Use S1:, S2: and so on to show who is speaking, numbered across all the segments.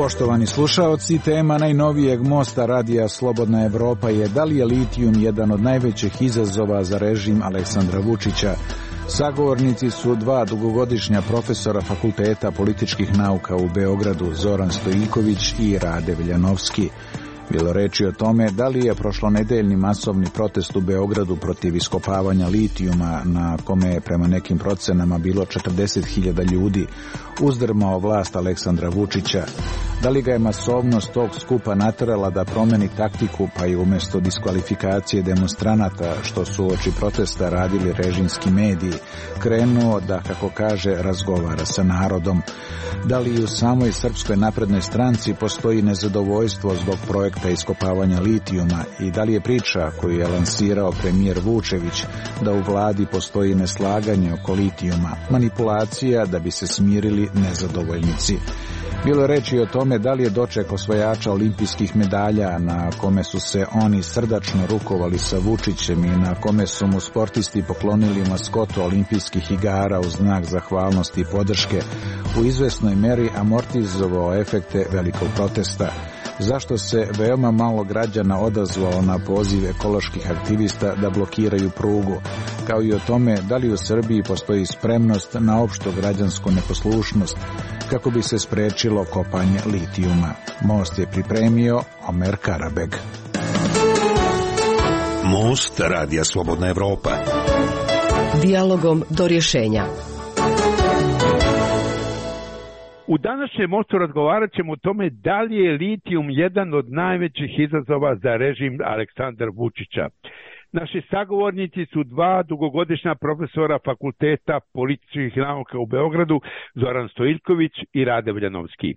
S1: Poštovani slušaoci, tema najnovijeg mosta radija Slobodna Evropa je da li je litijum jedan od najvećih izazova za režim Aleksandra Vučića. Sagovornici su dva dugogodišnja profesora Fakulteta političkih nauka u Beogradu, Zoran Stojiljković i Rade Veljanovski. Bilo reči o tome da li je prošlonedeljni masovni protest u Beogradu protiv iskopavanja litijuma, na kome je prema nekim procenama bilo 40.000 ljudi, uzdrmao vlast Aleksandra Vučića. Da li ga je masovnost tog skupa naterala da promeni taktiku, pa i umjesto diskvalifikacije demonstranata, što su uoči protesta radili režimski mediji, krenuo da, kako kaže, razgovara sa narodom. Da li u samoj Srpskoj naprednoj stranci postoji nezadovoljstvo zbog projekta iskopavanja litijuma i da li je priča koju je lansirao premijer Vučević da u vladi postoji neslaganje oko litijuma, manipulacija da bi se smirili nezadovoljnici. Bilo je reči o tome da li je doček osvajača olimpijskih medalja na kome su se oni srdačno rukovali sa Vučićem i na kome su mu sportisti poklonili maskotu olimpijskih igara u znak zahvalnosti i podrške, u izvesnoj meri amortizovao efekte velikog protesta. Zašto se veoma malo građana odazvalo na poziv ekoloških aktivista da blokiraju prugu, kao i o tome da li u Srbiji postoji spremnost na opštu građansku neposlušnost kako bi se sprečilo kopanje litijuma. Most je pripremio Omer Karabeg.
S2: Most radija Slobodna Evropa.
S3: Dijalogom do rješenja.
S4: U današnjem mostu razgovarat ćemo o tome da li je litijum jedan od najvećih izazova za režim Aleksandra Vučića. Naši sagovornici su dva dugogodišnja profesora Fakulteta političkih nauka u Beogradu, Zoran Stojiljković i Rade Veljanovski.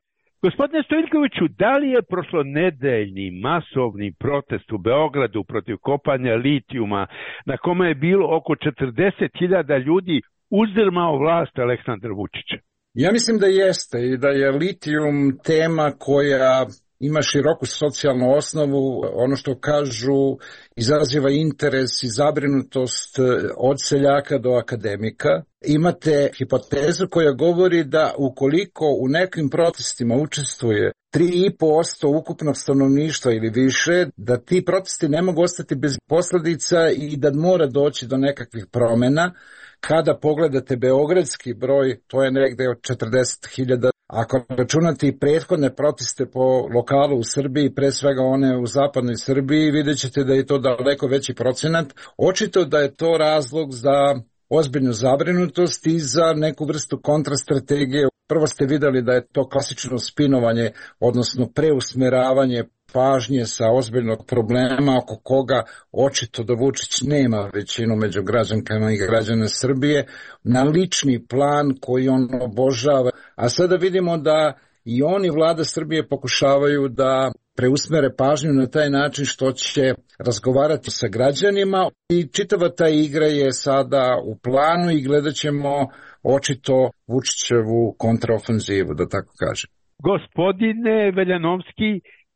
S4: Gospodine Stojiljkoviću, da li je prošlonedeljni masovni protest u Beogradu protiv kopanja litijuma, na kome je bilo oko 40.000 ljudi, uzdrmao vlast Aleksandra Vučića?
S5: Ja mislim da jeste i da je litijum tema koja ima široku socijalnu osnovu, ono što kažu izaziva interes i zabrinutost od seljaka do akademika. Imate hipotezu koja govori da ukoliko u nekim protestima učestvuje 3,5% ukupnog stanovništva ili više, da ti protesti ne mogu ostati bez posljedica i da mora doći do nekakvih promjena. Kada pogledate beogradski broj, to je negde od 40.000. Ako računate i prethodne proteste po lokalu u Srbiji, pre svega one u zapadnoj Srbiji, vidjet ćete da je to daleko veći procenat. Očito da je to razlog za ozbiljnu zabrinutost i za neku vrstu kontrastrategije. Prvo ste vidjeli da je to klasično spinovanje, odnosno preusmeravanje pažnje sa ozbiljnog problema oko koga očito da Vučić nema većinu među građankama i građana Srbije, na lični plan koji on obožava. A sada vidimo da i oni, vlada Srbije, pokušavaju da preusmere pažnju na taj način što će razgovarati sa građanima i čitava ta igra je sada u planu i gledat ćemo očito Vučićevu kontraofenzivu, da tako kažem.
S4: Gospodine Veljanovski,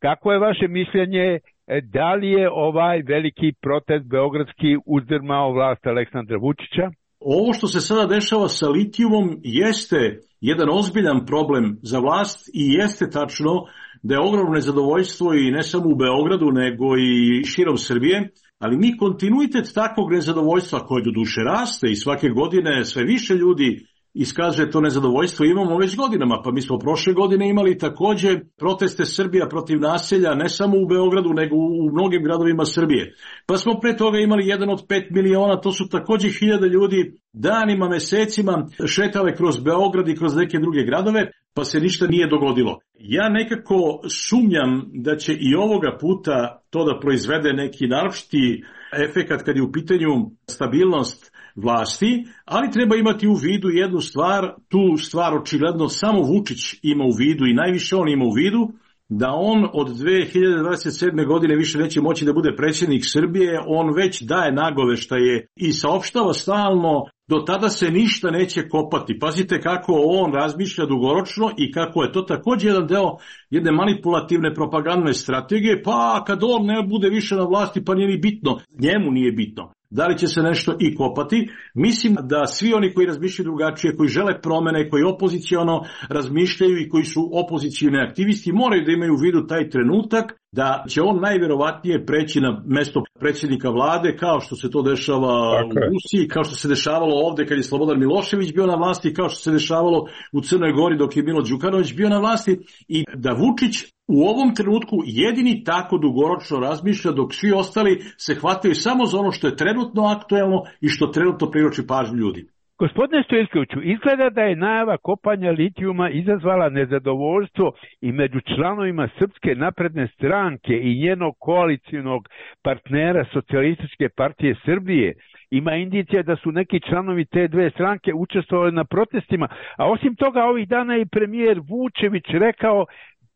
S4: kako je vaše mišljenje, da li je ovaj veliki protest beogradski uzdrmao vlast Aleksandra Vučića?
S6: Ovo što se sada dešava sa litijumom jeste jedan ozbiljan problem za vlast i jeste tačno da je ogromno nezadovoljstvo i ne samo u Beogradu nego i širom Srbije, ali mi kontinuitet takvog nezadovoljstva koje do duše raste i svake godine sve više ljudi iskazuje to nezadovoljstvo, imamo već godinama, pa mi smo prošle godine imali takođe proteste Srbija protiv naselja, ne samo u Beogradu, nego u mnogim gradovima Srbije. Pa smo pre toga imali 1 od 5 miliona, to su takođe 1000 ljudi danima, mesecima šetale kroz Beograd i kroz neke druge gradove, pa se ništa nije dogodilo. Ja nekako sumnjam da će i ovoga puta to da proizvede neki naročiti efekat kad je u pitanju stabilnost vlasti, ali treba imati u vidu jednu stvar, tu stvar očigledno samo Vučić ima u vidu i najviše on ima u vidu, da on od 2027. godine više neće moći da bude predsjednik Srbije, on već daje nagoveštaje i saopštava stalno, do tada se ništa neće kopati. Pazite kako on razmišlja dugoročno i kako je to također jedan deo jedne manipulativne propagandne strategije, pa kad on ne bude više na vlasti pa nije ni bitno, njemu nije bitno. da li će se nešto i kopati. Mislim da svi oni koji razmišljaju drugačije, koji žele promene, koji opoziciono razmišljaju i koji su opozicioni aktivisti, moraju da imaju u vidu taj trenutak da će on najverovatnije preći na mesto predsjednika vlade, kao što se to dešava u Rusiji, kao što se dešavalo ovde kad je Slobodan Milošević bio na vlasti, kao što se dešavalo u Crnoj Gori dok je Milo Đukanović bio na vlasti, i da Vučić u ovom trenutku jedini tako dugoročno razmišlja, dok svi ostali se hvataju samo za ono što je trenutno aktuelno i što trenutno privlači pažnju ljudi.
S4: Gospodine Stojiljkoviću, izgleda da je najava kopanja litijuma izazvala nezadovoljstvo i među članovima Srpske napredne stranke i njenog koalicionog partnera Socijalističke partije Srbije. Ima indicija da su neki članovi te dve stranke učestvovali na protestima, a osim toga ovih dana i premijer Vučević rekao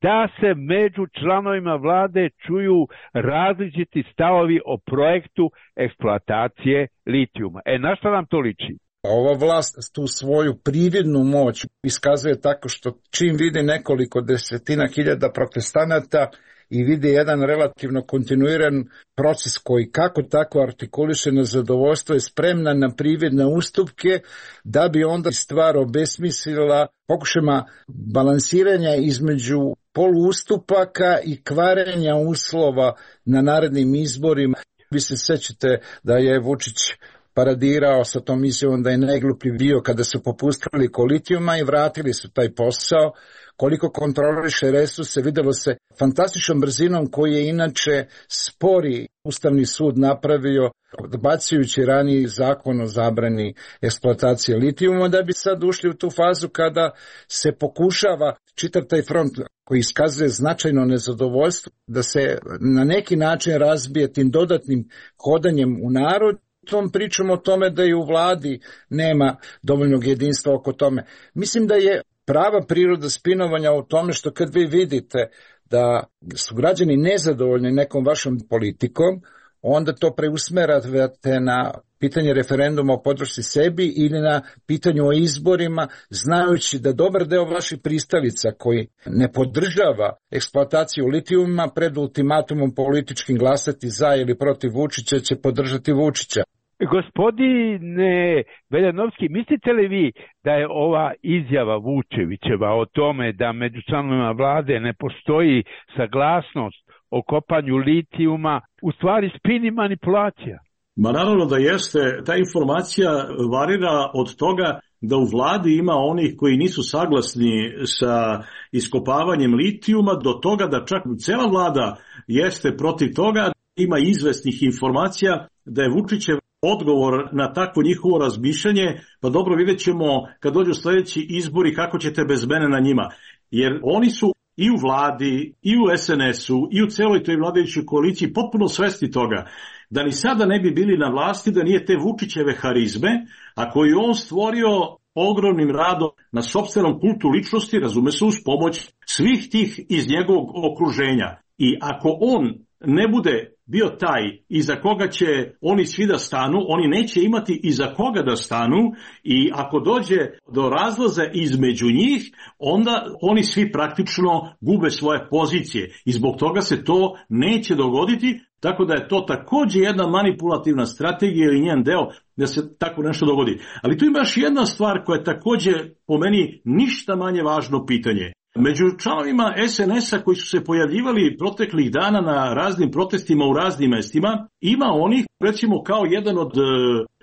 S4: da se među članovima vlade čuju različiti stavovi o projektu eksploatacije litijuma. Na šta nam to liči?
S5: Ova vlast tu svoju prividnu moć iskazuje tako što čim vidi nekoliko desetina hiljada protestanata i vidi jedan relativno kontinuiran proces koji kako tako artikuliše nezadovoljstvo, je spremna na prividne ustupke da bi onda stvar obesmislila pokušajima balansiranja između poluustupaka i kvarenja uslova na narednim izborima. Vi se sećate da je Vučić paradirao sa tom izjavom da je najgluplji bio kada su popustili oko litijuma i vratili su taj posao. Koliko kontroliše resurse, videlo se fantastičnom brzinom koji je inače spori Ustavni sud napravio, odbacujući raniji zakon o zabrani eksploatacije litijuma, da bi sad ušli u tu fazu kada se pokušava čitav taj front koji iskazuje značajno nezadovoljstvo, da se na neki način razbije tim dodatnim hodanjem u narod. Tom pričamo o tome da i u vladi nema dovoljnog jedinstva oko tome. Mislim da je prava priroda spinovanja u tome što kad vi vidite da su građani nezadovoljni nekom vašom politikom, onda to preusmerate na pitanje referenduma o podršci sebi ili na pitanju o izborima, znajući da dobar deo vaših pristalica koji ne podržava eksploataciju litijuma pred ultimatumom političkim glasati za ili protiv Vučića će podržati Vučića.
S4: Gospodine Veljanovski, mislite li vi da je ova izjava Vučevićeva o tome da među članovima vlade ne postoji saglasnost o kopanju litijuma u stvari spin i manipulacija?
S6: Ma naravno da jeste. Ta informacija varira od toga da u vladi ima onih koji nisu saglasni sa iskopavanjem litijuma, do toga da čak cela vlada jeste protiv toga. Ima izvesnih informacija da je Vučićev odgovor na takvo njihovo razmišljanje, pa dobro, vidjet ćemo kad dođu sljedeći izbori kako ćete bez mene na njima. Jer oni su i u vladi, i u SNS-u, i u celoj toj vladajućoj koaliciji potpuno svesni toga da ni sada ne bi bili na vlasti da nije te Vučićeve harizme, a koju on stvorio ogromnim radom na sopstvenom kultu ličnosti, razume se, uz pomoć svih tih iz njegovog okruženja. I ako on ne bude bio taj iza koga će oni svi da stanu, oni neće imati iza koga da stanu, i ako dođe do razlaza između njih, onda oni svi praktično gube svoje pozicije i zbog toga se to neće dogoditi, tako da je to također jedna manipulativna strategija ili njen deo da se tako nešto dogodi. Ali tu ima još jedna stvar koja je također po meni ništa manje važno pitanje. Među članovima SNS-a koji su se pojavljivali proteklih dana na raznim protestima u raznim mestima, ima onih, recimo kao jedan od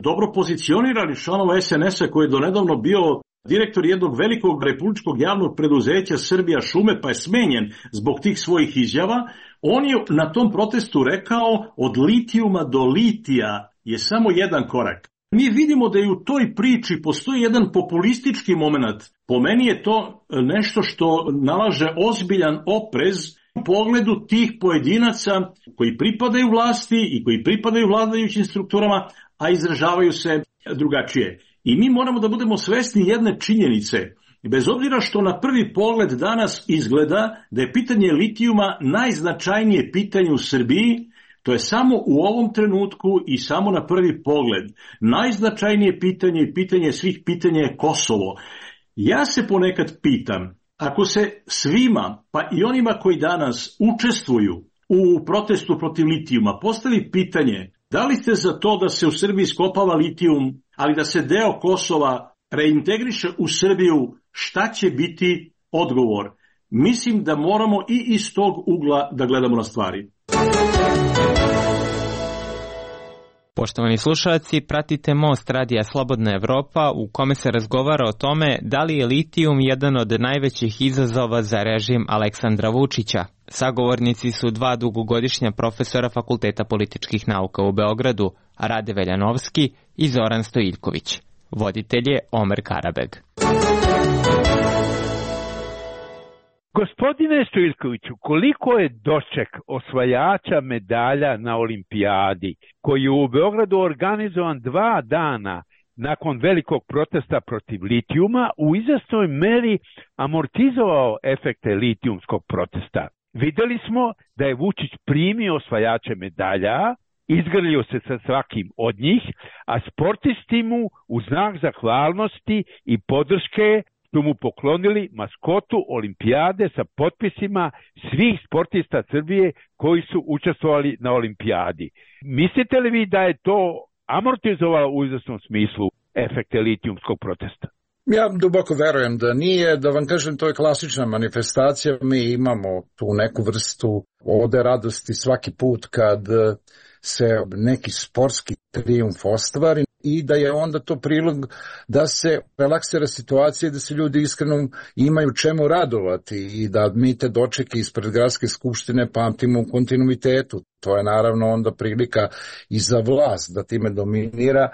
S6: dobro pozicioniranih članova SNS-a koji je donedavno bio direktor jednog velikog republičkog javnog preduzeća Srbija šume, pa je smenjen zbog tih svojih izjava. On je na tom protestu rekao od litijuma do litija je samo jedan korak. Mi vidimo da i u toj priči postoji jedan populistički moment. Po meni je to nešto što nalaže ozbiljan oprez u pogledu tih pojedinaca koji pripadaju vlasti i koji pripadaju vladajućim strukturama, a izražavaju se drugačije. I mi moramo da budemo svesni jedne činjenice. Bez obzira što na prvi pogled danas izgleda da je pitanje litijuma najznačajnije pitanje u Srbiji, to je samo u ovom trenutku i samo na prvi pogled. Najznačajnije pitanje i pitanje svih pitanja je Kosovo. Ja se ponekad pitam, ako se svima, pa i onima koji danas učestvuju u protestu protiv litijuma, postavi pitanje Da li ste za to da se u Srbiji iskopava litijum, ali da se deo Kosova reintegriše u Srbiju? Šta će biti odgovor? Mislim da moramo i iz tog ugla da gledamo na stvari.
S7: Poštovani slušalci, pratite Most Radija Slobodna Evropa u kome se razgovara o tome da li je litijum jedan od najvećih izazova za režim Aleksandra Vučića. Sagovornici su dva dugogodišnja profesora Fakulteta političkih nauka u Beogradu, Rade Veljanovski i Zoran Stojiljković. Voditelj je Omer Karabeg.
S4: Gospodine Stojiljkoviću, koliko je doček osvajača medalja na olimpijadi, koji je u Beogradu organizovan 2 dana nakon velikog protesta protiv litijuma, u izvesnoj meri amortizovao efekte litijumskog protesta? Videli smo da je Vučić primio osvajače medalja, izgrlio se sa svakim od njih, a sportisti mu u znak zahvalnosti i podrške su mu poklonili maskotu olimpijade sa potpisima svih sportista Srbije koji su učestvovali na olimpijadi. Mislite li vi da je to amortizovalo u izvesnom smislu efekte litijumskog protesta?
S5: Ja duboko verujem da nije, da vam kažem, to je klasična manifestacija, mi imamo tu neku vrstu ode radosti svaki put kad se neki sportski trijumf ostvari i da je onda to prilog da se relaksira situacija i da se ljudi iskreno imaju čemu radovati i da mi te dočeke ispred gradske skupštine pamtimo u kontinuitetu. To je naravno onda prilika i za vlast da time dominira.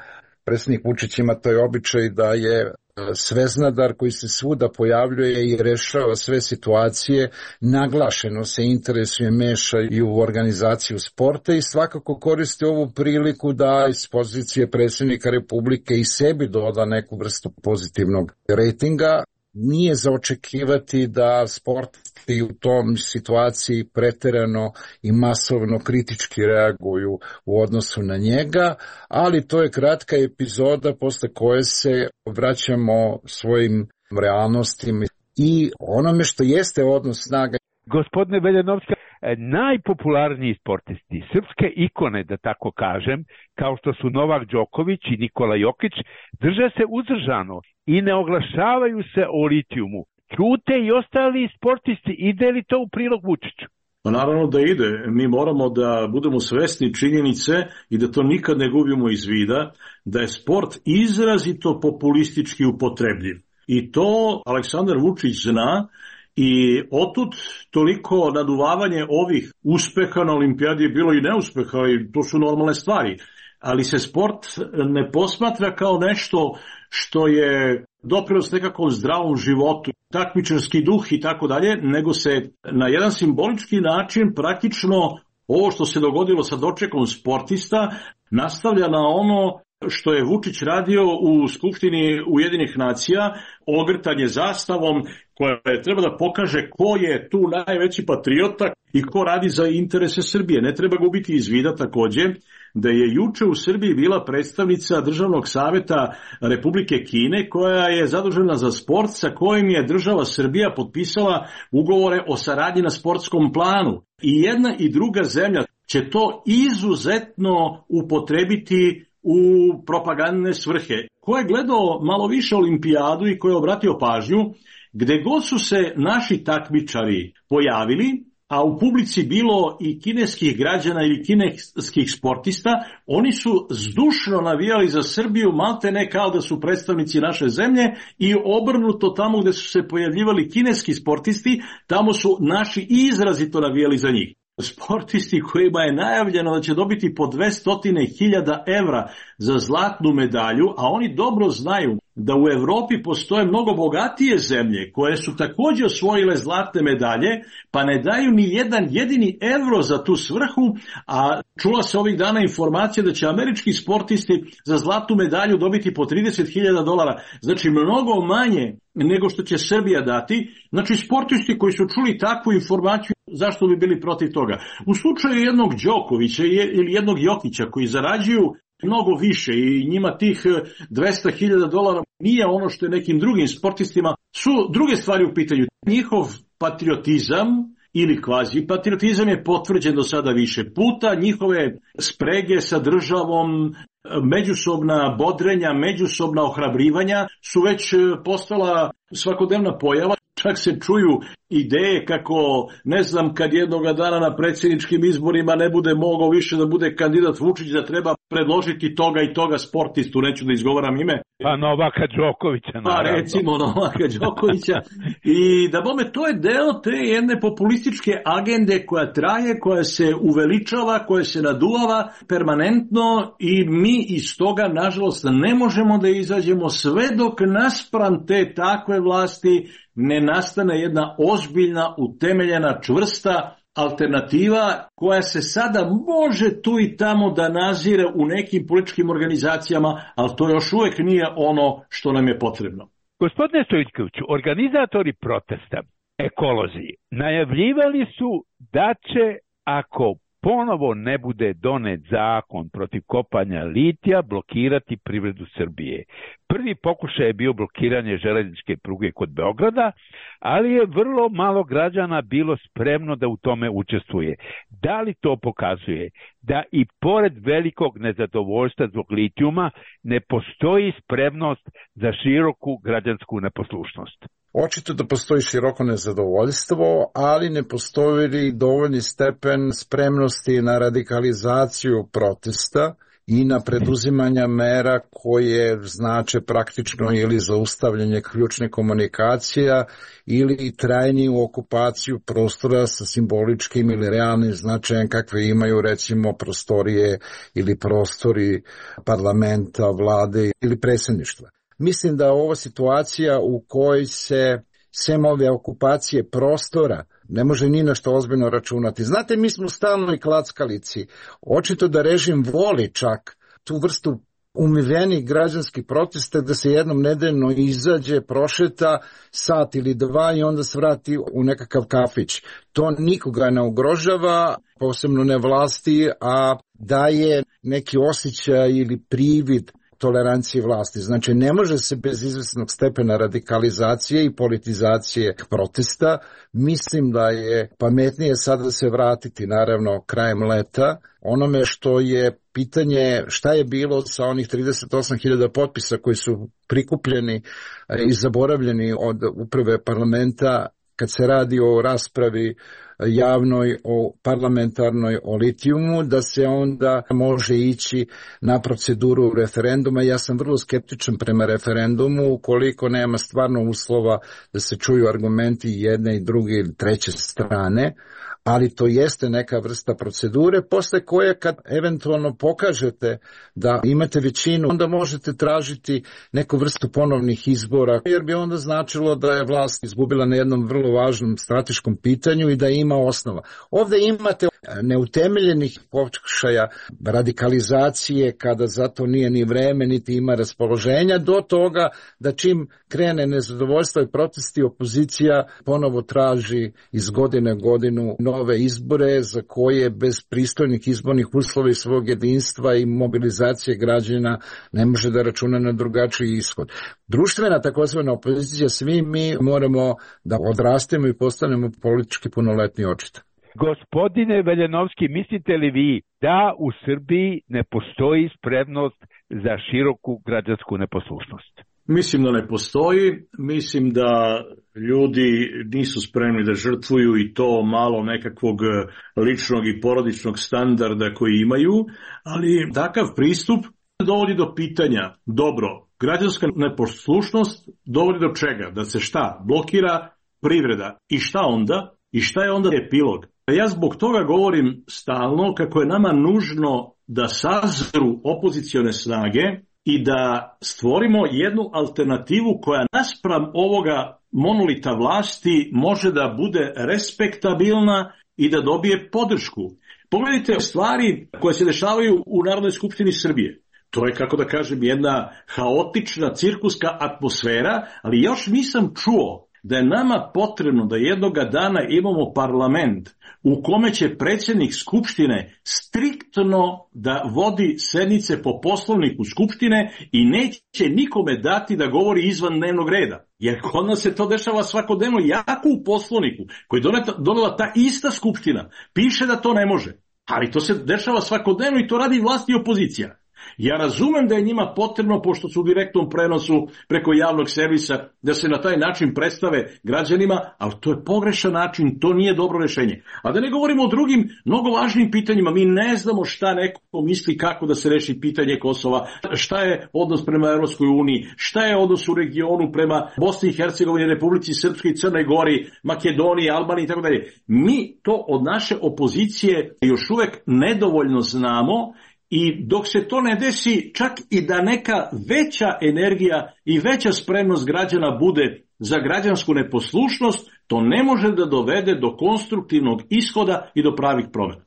S5: Predsjednik Vučić ima taj običaj da je sveznadar koji se svuda pojavljuje i rešava sve situacije, naglašeno se interesuje, meša i u organizaciju sporta i svakako koristi ovu priliku da iz pozicije predsjednika Republike i sebi doda neku vrstu pozitivnog rejtinga. Nije za očekivati da sportisti u tom situaciji preterano i masovno kritički reaguju u odnosu na njega, ali to je kratka epizoda posle koje se vraćamo svojim realnostima i onome što jeste odnos snaga.
S4: Gospodine Veljanovski, najpopularniji sportisti, srpske ikone, da tako kažem, kao što su Novak Đoković i Nikola Jokić, drže se uzdržano i ne oglašavaju se o litijumu. Ćute i ostali sportisti. Ide li to u prilog Vučiću?
S6: Pa naravno da ide. Mi moramo da budemo svesni činjenice i da to nikad ne gubimo iz vida, da je sport izrazito populistički upotrebljiv. I to Aleksandar Vučić zna. I otud toliko naduvavanje ovih uspeha na olimpijadi je bilo i neuspeha i to su normalne stvari. Ali se sport ne posmatra kao nešto što je doprinos nekakvom zdravom životu, takmičarski duh i tako dalje, nego se na jedan simbolički način praktično ovo što se dogodilo sa dočekom sportista nastavlja na ono što je Vučić radio u Skupštini Ujedinjenih nacija, ogrtanje zastavom koja treba da pokaže ko je tu najveći patriota i ko radi za interese Srbije. Ne treba gubiti iz vida takođe da je juče u Srbiji bila predstavnica Državnog saveta Republike Kine koja je zadužena za sport sa kojim je država Srbija potpisala ugovore o saradnji na sportskom planu. I jedna i druga zemlja će to izuzetno upotrebiti u propagandne svrhe. Ko je gledao malo više olimpijadu i ko je obratio pažnju, gde god su se naši takmičari pojavili, a u publici bilo i kineskih građana ili kineskih sportista, oni su zdušno navijali za Srbiju, maltene kao da su predstavnici naše zemlje i obrnuto tamo gde su se pojavljivali kineski sportisti, tamo su naši izrazito navijali za njih. Sportisti kojima je najavljeno da će dobiti po 200.000 evra za zlatnu medalju, a oni dobro znaju da u Evropi postoje mnogo bogatije zemlje koje su također osvojile zlatne medalje, pa ne daju ni jedan jedini evro za tu svrhu, a čula se ovih dana informacija da će američki sportisti za zlatnu medalju dobiti po $30.000, znači mnogo manje nego što će Srbija dati. Znači sportisti koji su čuli takvu informaciju, zašto bi bili protiv toga? U slučaju jednog Đokovića ili jednog Jokića koji zarađuju mnogo više i njima tih $200.000 nije ono što je nekim drugim sportistima, su druge stvari u pitanju. Njihov patriotizam ili kvazi patriotizam je potvrđen do sada više puta, njihove sprege sa državom, međusobna bodrenja, međusobna ohrabrivanja su već postala svakodnevna pojava. Čak se čuju ideje kako, ne znam, kad jednoga dana na predsjedničkim izborima ne bude mogao više da bude kandidat Vučić, da treba predložiti toga i toga sportistu, neću da izgovaram ime.
S4: Pa Novaka Đokovića, naravno.
S6: Pa recimo Novaka Đokovića. I da bome, to je deo te jedne populističke agende koja traje, koja se uveličava, koja se naduvava permanentno i mi iz toga, nažalost, ne možemo da izađemo sve dok naspram te takve vlasti ne nastane jedna ozbiljna, utemeljena, čvrsta alternativa koja se sada može tu i tamo da nazire u nekim političkim organizacijama, ali to još uvijek nije ono što nam je potrebno.
S4: Gospodine Stojiljkoviću, organizatori protesta, ekolozi, najavljivali su da će, ako ponovo ne bude donet zakon protiv kopanja litija, blokirati privredu Srbije. Prvi pokušaj je bio blokiranje železničke pruge kod Beograda, ali je vrlo malo građana bilo spremno da u tome učestvuje. Da li to pokazuje da i pored velikog nezadovoljstva zbog litijuma ne postoji spremnost za široku građansku neposlušnost?
S5: Očito da postoji široko nezadovoljstvo, ali ne postoji dovoljni stepen spremnosti na radikalizaciju protesta i na preduzimanja mera koje znače praktično ili zaustavljanje ključne komunikacija ili trajniju okupaciju prostora sa simboličkim ili realnim značajem kakve imaju recimo prostorije ili prostori parlamenta, vlade ili predsjedništva. Mislim da ova situacija u kojoj se sem ove okupacije prostora ne može ni na što ozbiljno računati. Znate, mi smo stalno i klackalici. Očito da režim voli čak tu vrstu umivenih građanskih protesta da se jednom nedeljno izađe, prošeta sat ili dva i onda se vrati u nekakav kafić. To nikoga ne ugrožava, posebno ne vlasti, a daje neki osjećaj ili privid tolerancije vlasti. Znači, ne može se bez izvesnog stepena radikalizacije i politizacije protesta. Mislim da je pametnije sada se vratiti, naravno, krajem leta, onome što je pitanje šta je bilo sa onih 38.000 potpisa koji su prikupljeni i zaboravljeni od uprave parlamenta kad se radi o raspravi javnoj, o parlamentarnoj, o litijumu, da se onda može ići na proceduru referenduma. Ja sam vrlo skeptičan prema referendumu ukoliko nema stvarno uslova da se čuju argumenti jedne i druge ili treće strane, ali to jeste neka vrsta procedure posle koje kad eventualno pokažete da imate većinu, onda možete tražiti neku vrstu ponovnih izbora, jer bi onda značilo da je vlast izgubila na jednom vrlo važnom strateškom pitanju i da ima osnova. Ovde imate neutemeljenih pokušaja radikalizacije kada za to nije ni vreme, niti ima raspoloženja, do toga da čim krene nezadovoljstvo i protesti, opozicija ponovo traži iz godine u godinu nove izbore za koje bez pristojnih izbornih uslova i svog jedinstva i mobilizacije građana ne može da računa na drugačiji ishod. Društvena takozvana opozicija, svi mi moramo da odrastemo i postanemo politički punoletni očito.
S4: Gospodine Veljanovski, mislite li vi da u Srbiji ne postoji spremnost za široku građansku neposlušnost?
S6: Mislim da ne postoji, mislim da ljudi nisu spremni da žrtvuju i to malo nekakvog ličnog i porodičnog standarda koji imaju, ali takav pristup dovodi do pitanja, dobro, građanska neposlušnost dovodi do čega? Da se šta? Blokira privreda. I šta onda? I šta je onda epilog? Ja zbog toga govorim stalno kako je nama nužno da sazru opozicione snage i da stvorimo jednu alternativu koja naspram ovoga monolita vlasti može da bude respektabilna i da dobije podršku. Pogledajte stvari koje se dešavaju u Narodnoj skupštini Srbije. To je, kako da kažem, jedna haotična cirkuska atmosfera, ali još nisam čuo da je nama potrebno da jednoga dana imamo parlament u kome će predsjednik Skupštine striktno da vodi sednice po poslovniku Skupštine i neće nikome dati da govori izvan dnevnog reda. Jer kod nas se to dešava svakodnevno, jako u poslovniku koji je donela ta ista Skupština. Piše da to ne može, ali to se dešava svakodnevno i to radi vlast i opozicija. Ja razumem da je njima potrebno, pošto su u direktnom prenosu preko javnog servisa, da se na taj način predstave građanima, ali to je pogrešan način, to nije dobro rješenje. A da ne govorimo o drugim, mnogo važnim pitanjima, mi ne znamo šta neko misli kako da se reši pitanje Kosova, šta je odnos prema Evropskoj uniji, šta je odnos u regionu prema Bosni i Hercegovini, Republici Srpskoj, Crnoj Gori, Makedoniji, Albaniji i tako dalje. Mi to od naše opozicije još uvek nedovoljno znamo. I dok se to ne desi, čak i da neka veća energija i veća spremnost građana bude za građansku neposlušnost, to ne može da dovede do konstruktivnog ishoda i do pravih promjena.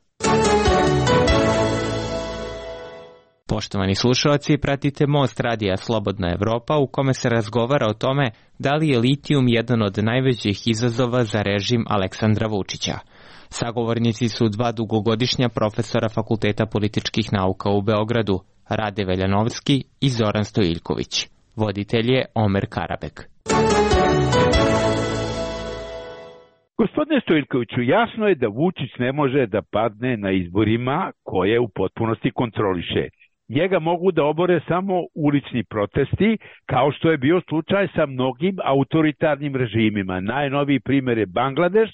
S7: Poštovani slušalci, pratite Most radija Slobodna Evropa u kome se razgovara o tome da li je litijum jedan od najvećih izazova za režim Aleksandra Vučića. Sagovornici su dva dugogodišnja profesora Fakulteta političkih nauka u Beogradu, Rade Veljanovski i Zoran Stojiljković. Voditelj je Omer Karabek.
S4: Gospodine Stojiljkoviću, jasno je da Vučić ne može da padne na izborima koje u potpunosti kontroliše. Njega mogu da obore samo ulični protesti, kao što je bio slučaj sa mnogim autoritarnim režimima. Najnoviji primjer je Bangladeš,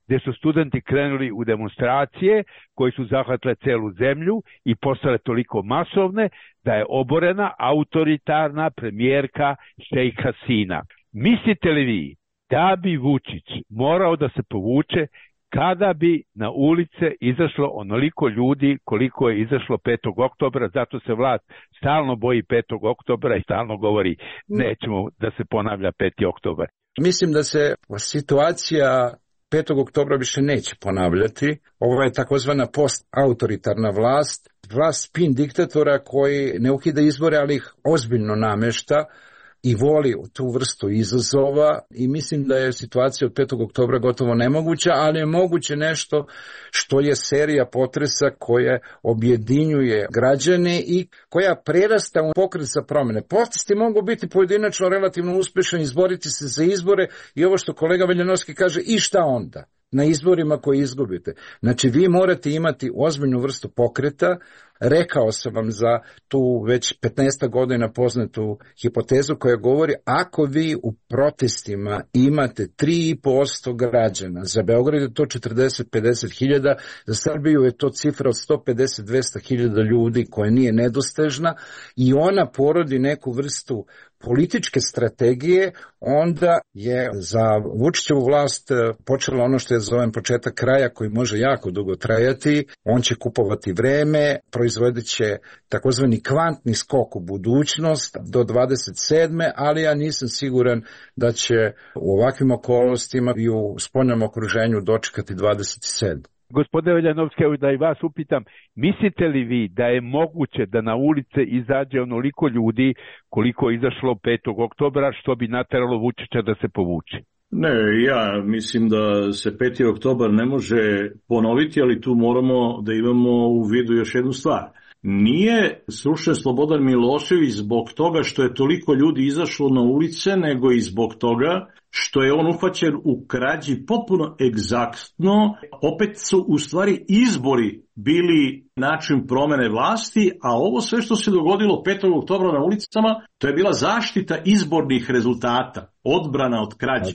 S4: gdje su studenti krenuli u demonstracije koje su zahvatile celu zemlju i postale toliko masovne da je oborena autoritarna premijerka Šejk Hasina. Mislite li vi da bi Vučić morao da se povuče kada bi na ulice izašlo onoliko ljudi koliko je izašlo 5. oktobra, zato se vlast stalno boji 5. oktobra i stalno govori nećemo da se ponavlja 5. oktobar.
S5: Mislim da se situacija 5. oktobra više neće ponavljati. Ovo je takozvana post-autoritarna vlast, vlast spin diktatora koji ne ukida izbore, ali ih ozbiljno namešta i voli tu vrstu izazova i mislim da je situacija od 5. oktobra gotovo nemoguća, ali je moguće nešto što je serija potresa koja objedinjuje građane i koja prerasta u pokret za promjene. Protesti mogu biti pojedinačno relativno uspješni, izboriti se za izbore i ovo što kolega Veljanovski kaže, i šta onda? Na izborima koje izgubite. Znači vi morate imati ozbiljnu vrstu pokreta. Rekao sam vam za tu već 15 godina poznatu hipotezu koja govori ako vi u protestima imate 3,5% građana, za Beograd je to 40-50 hiljada, za Srbiju je to cifra od 150-200 hiljada ljudi koja nije nedostižna i ona porodi neku vrstu političke strategije, onda je za Vučićevu vlast počelo ono što je zovem početak kraja koji može jako dugo trajati. On će kupovati vreme, proizvodit će takozvani kvantni skok u budućnost do 27. ali ja nisam siguran da će u ovakvim okolnostima i u spoljnom okruženju dočekati 27.
S4: Gospodine Veljanovski, da i vas upitam, mislite li vi da je moguće da na ulice izađe onoliko ljudi koliko je izašlo 5. oktobra, što bi nateralo Vučića da se povuče?
S6: Ne, ja mislim da se 5. oktobar ne može ponoviti, ali tu moramo da imamo u vidu još jednu stvar. Nije srušen Slobodan Milošević zbog toga što je toliko ljudi izašlo na ulice, nego i zbog toga što je on uhvaćen u krađi potpuno egzaktno. Opet su u stvari izbori bili način promjene vlasti, a ovo sve što se dogodilo 5. oktobra na ulicama, to je bila zaštita izbornih rezultata, odbrana od krađe.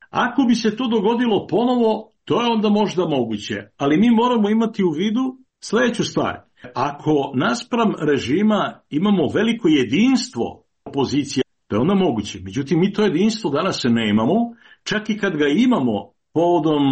S6: Ako bi se to dogodilo ponovo, to je onda možda moguće, ali mi moramo imati u vidu sljedeću stvar. Ako naspram režima imamo veliko jedinstvo opozicije, to je onda moguće. Međutim, mi to jedinstvo danas ne imamo, čak i kad ga imamo povodom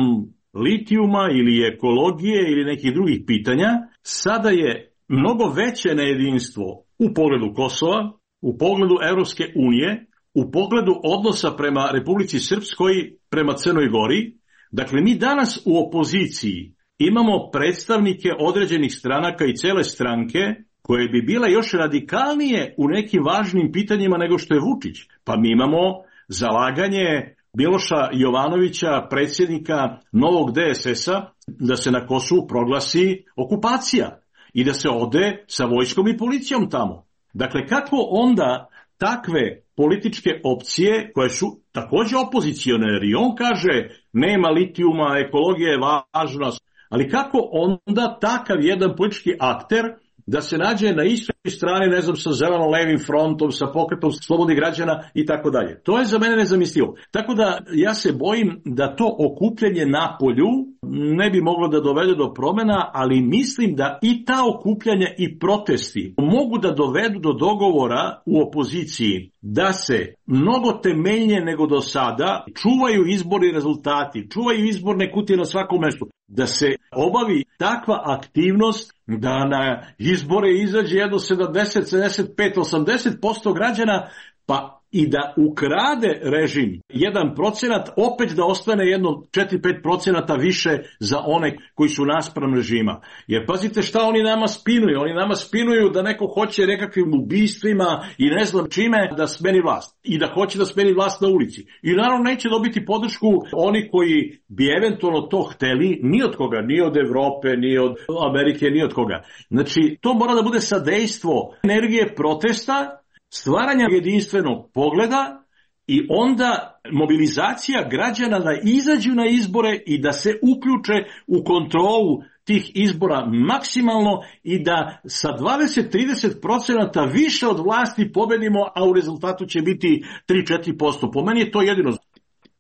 S6: litijuma ili ekologije ili nekih drugih pitanja, sada je mnogo veće nejedinstvo u pogledu Kosova, u pogledu Evropske unije, u pogledu odnosa prema Republici Srpskoj, prema Crnoj Gori. Dakle, mi danas u opoziciji imamo predstavnike određenih stranaka i cele stranke koje bi bile još radikalnije u nekim važnim pitanjima nego što je Vučić. Pa mi imamo zalaganje Miloša Jovanovića, predsjednika novog DSS-a, da se na Kosovu proglasi okupacija i da se ode sa vojskom i policijom tamo. Dakle, kako onda takve političke opcije, koje su također opozicione, jer i on kaže nema litijuma, ekologija je važna, ali kako onda takav jedan politički akter da se nađe na istoj strani, ne znam, sa zeleno-levim frontom, sa pokretom slobodnih građana i tako dalje. To je za mene nezamislivo. Tako da ja se bojim da to okupljanje na polju ne bi moglo da dovede do promjena, ali mislim da i ta okupljanja i protesti mogu da dovedu do dogovora u opoziciji da se mnogo temeljnije nego do sada čuvaju izborni rezultati, čuvaju izborne kutije na svakom mjestu, da se obavi takva aktivnost da na izbore izađe jedno 70, 75, 80% građana, pa i da ukrade režim 1%, opet da ostane jedno 4-5% više za one koji su naspram režima. Jer pazite šta oni nama spinuju. Oni nama spinuju da neko hoće nekakvim ubistvima i ne znam čime da smeni vlast. I da hoće da smeni vlast na ulici. I naravno neće dobiti podršku oni koji bi eventualno to hteli, ni od koga, ni od Evrope, ni od Amerike, ni od koga. Znači, to mora da bude sadejstvo energije protesta, stvaranja jedinstvenog pogleda i onda mobilizacija građana da izađu na izbore i da se uključe u kontrolu tih izbora maksimalno i da sa 20-30% više od vlasti pobedimo, a u rezultatu će biti 3-4%. Po meni je to jedino.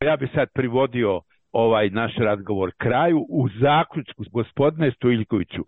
S4: Ja bi sad privodio ovaj naš razgovor kraju u zaključku, gospodine Stojiljkoviću.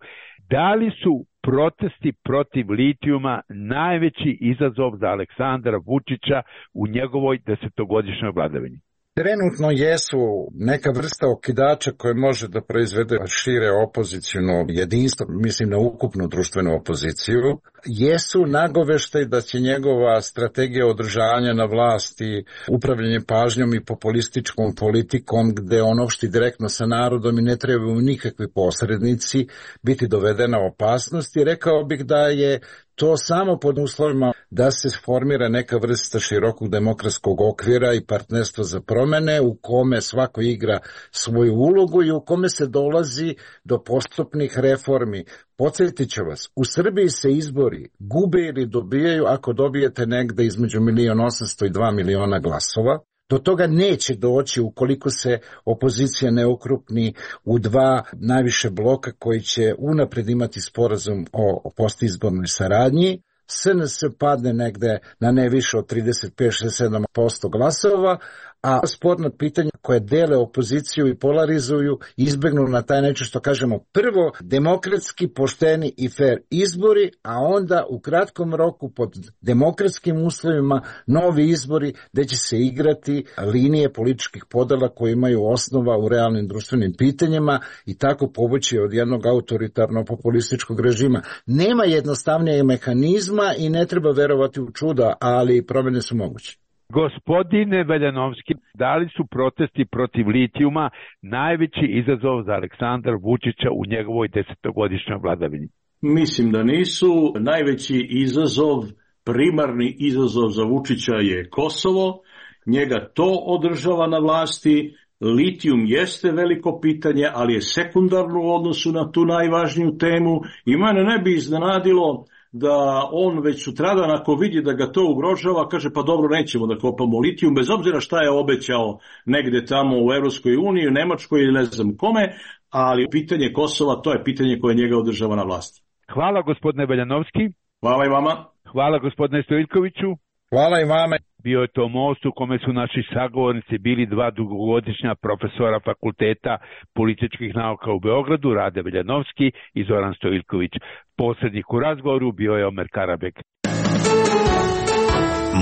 S4: Da li su protesti protiv litijuma najveći izazov za Aleksandra Vučića u njegovoj 10-godišnjoj vladavini?
S5: Trenutno jesu neka vrsta okidača koje može da proizvede šire opoziciono jedinstvo, mislim na ukupnu društvenu opoziciju. Jesu nagoveštaj da će njegova strategija održavanja na vlasti, upravljanje pažnjom i populističkom politikom, gde on opšti direktno sa narodom i ne trebaju nikakvi posrednici, biti dovedena opasnost. I rekao bih da je to samo pod uslovima da se formira neka vrsta širokog demokratskog okvira i partnerstva za promene u kome svako igra svoju ulogu i u kome se dolazi do postupnih reformi. Podsjetit ću vas, u Srbiji se izbori gube ili dobijaju ako dobijete negde između 1.800.000 i 2 miliona glasova. Do toga neće doći ukoliko se opozicija ne okrupni u dva najviše bloka koji će unapred imati sporazum o postizbornoj saradnji. SNS padne negde na ne više od 35-67% glasova, a sporna pitanja koje dele opoziciju i polarizuju izbegnu na taj način što kažemo prvo demokratski, pošteni i fair izbori, a onda u kratkom roku pod demokratskim uslovima novi izbori gde će se igrati linije političkih podela koje imaju osnova u realnim društvenim pitanjima i tako povući od jednog autoritarno-populističkog režima. Nema jednostavnijeg mehanizma i ne treba verovati u čuda, ali promjene su moguće.
S4: Gospodine Veljanovski, da li su protesti protiv litijuma najveći izazov za Aleksandra Vučića u njegovoj 10-godišnjoj vladavini?
S6: Mislim da nisu. Najveći izazov, primarni izazov za Vučića je Kosovo. Njega to održava na vlasti. Litijum jeste veliko pitanje, ali je sekundarno u odnosu na tu najvažniju temu i mene ne bi iznenadilo da on već sutradan ako vidi da ga to ugrožava, kaže pa dobro, nećemo da kopamo litijum, bez obzira šta je obećao negde tamo u Evropskoj uniji, u Nemačkoj ili ne znam kome, ali pitanje Kosova, to je pitanje koje njega održava na vlasti.
S4: Hvala gospodine Veljanovski.
S6: Hvala i vama.
S4: Hvala gospodine Stojiljkoviću.
S5: Hvala i vama.
S4: Bio je to most u kome su naši sagovornici bili dva dugogodišnja profesora Fakulteta političkih nauka u Beogradu, Rade Veljanovski i Zoran Stojiljković. Posrednik u razgovoru bio je Omer Karabek.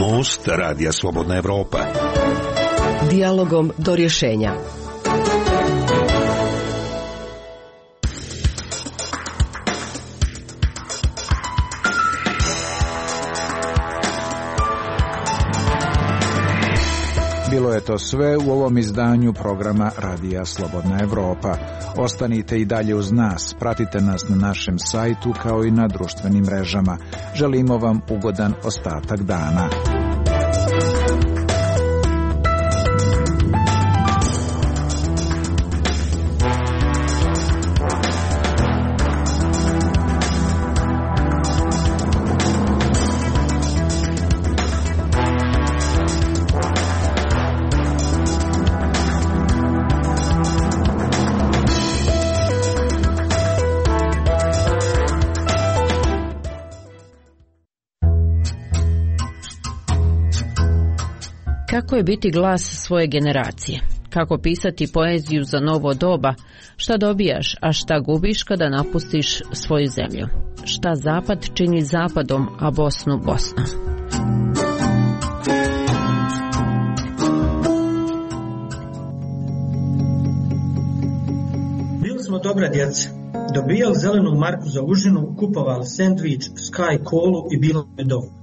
S2: Most Radija Slobodna Evropa.
S3: Dijalogom do rješenja.
S1: Bilo je to sve u ovom izdanju programa Radija Slobodna Evropa. Ostanite i dalje uz nas, pratite nas na našem sajtu kao i na društvenim mrežama. Želimo vam ugodan ostatak dana.
S8: Kako je biti glas svoje generacije? Kako pisati poeziju za novo doba? Šta dobijaš, a šta gubiš kada napustiš svoju zemlju? Šta Zapad čini Zapadom, a Bosnu Bosnom?
S9: Bili smo dobra djeca. Dobijali zelenu marku za užinu, kupovali sendvič, Sky kolu i bilo je dovoljno.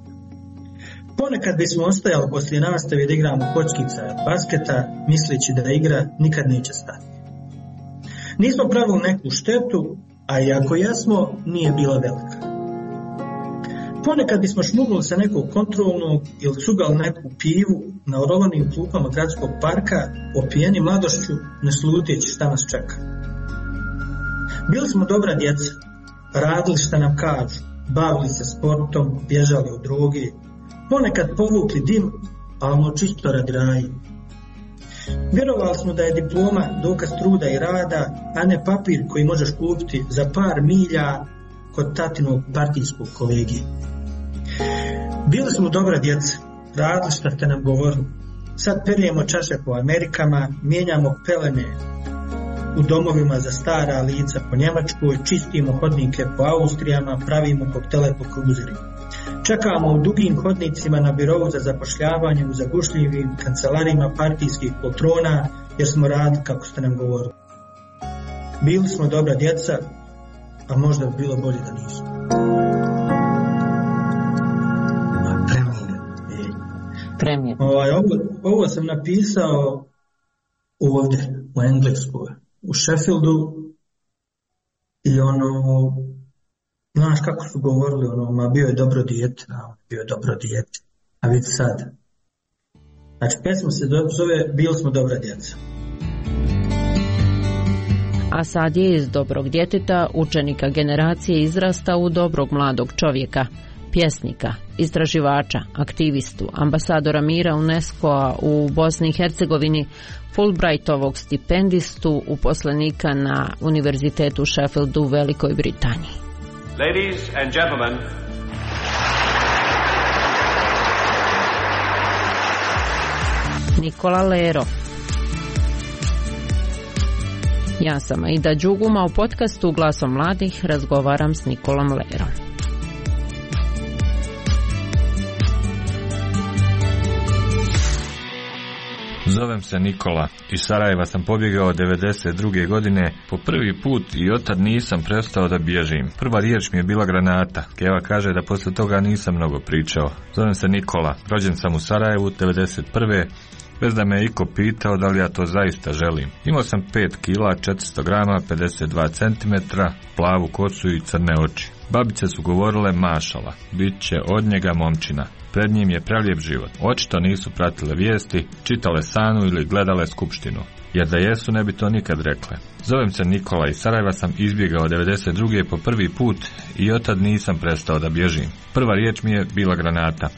S9: Ponekad bismo ostajali poslije nastave da igramo kockica basketa, misleći da igra nikad neće stati. Nismo pravili neku štetu, a i ako jesmo, nije bila velika. Ponekad bismo šmugli sa nekog kontrolnog ili cugali neku pivu na orovanim klupama gradskog parka, opijeni mladošću, ne sluteći šta nas čeka. Bili smo dobra djeca, radili šta nam kažu, bavili se sportom, bježali od droge, ponekad povukli dim, a ono čisto radi raji. Vjerovali smo da je diploma dokaz truda i rada, a ne papir koji možeš kupiti za par milja kod tatinog partijskog kolege. Bili smo dobra djeca, radili šta ste nam govorili. Sad perijemo čaše po Amerikama, mijenjamo pelene u domovima za stara lica po Njemačkoj, čistimo hodnike po Austrijama, pravimo koktele po kruzerima. Čekamo u dugim hodnicima na birovu za zapošljavanje u zagušljivim kancelarima partijskih poltrona, jer smo radili kako ste nam govorili. Bili smo dobra djeca, a možda bi bilo bolje da nismo.
S8: Premijer.
S9: Ovo sam napisao ovdje u Engleskoj, u Sheffieldu, i znaš kako su govorili, bio je dobro dijete, a vidi sad. Znači, pesma se zove Bili smo dobra djeca.
S8: A sad je iz dobrog djeteta, učenika generacije, izrasta u dobrog mladog čovjeka, pjesnika, istraživača, aktivistu, ambasadora mira UNESCO-a u Bosni i Hercegovini, Fulbrightovog stipendistu, uposlenika na Univerzitetu u Sheffieldu u Velikoj Britaniji.
S10: Ladies and gentlemen,
S8: Nikola Lero. Ja sam Aida Đuguma, u podcastu Glasom mladih razgovaram s Nikolom Lerom.
S11: Zovem se Nikola. Iz Sarajeva sam pobjegao 92. godine po prvi put i otad nisam prestao da bježim. Prva riječ mi je bila granata. Keva kaže da poslije toga nisam mnogo pričao. Zovem se Nikola. Rođen sam u Sarajevu 91. bez da me iko pitao da li ja to zaista želim. Imao sam 5 kila, 400 grama, 52 cm, plavu kosu i crne oči. Babice su govorile mašala, bit će od njega momčina. Pred njim je prelijep život. Očito nisu pratile vijesti, čitale Sanu ili gledale Skupštinu. Jer da jesu ne bi to nikad rekle. Zovem se Nikola, iz Sarajeva sam izbjegao 92. po prvi put i otad nisam prestao da bježim. Prva riječ mi je bila granata.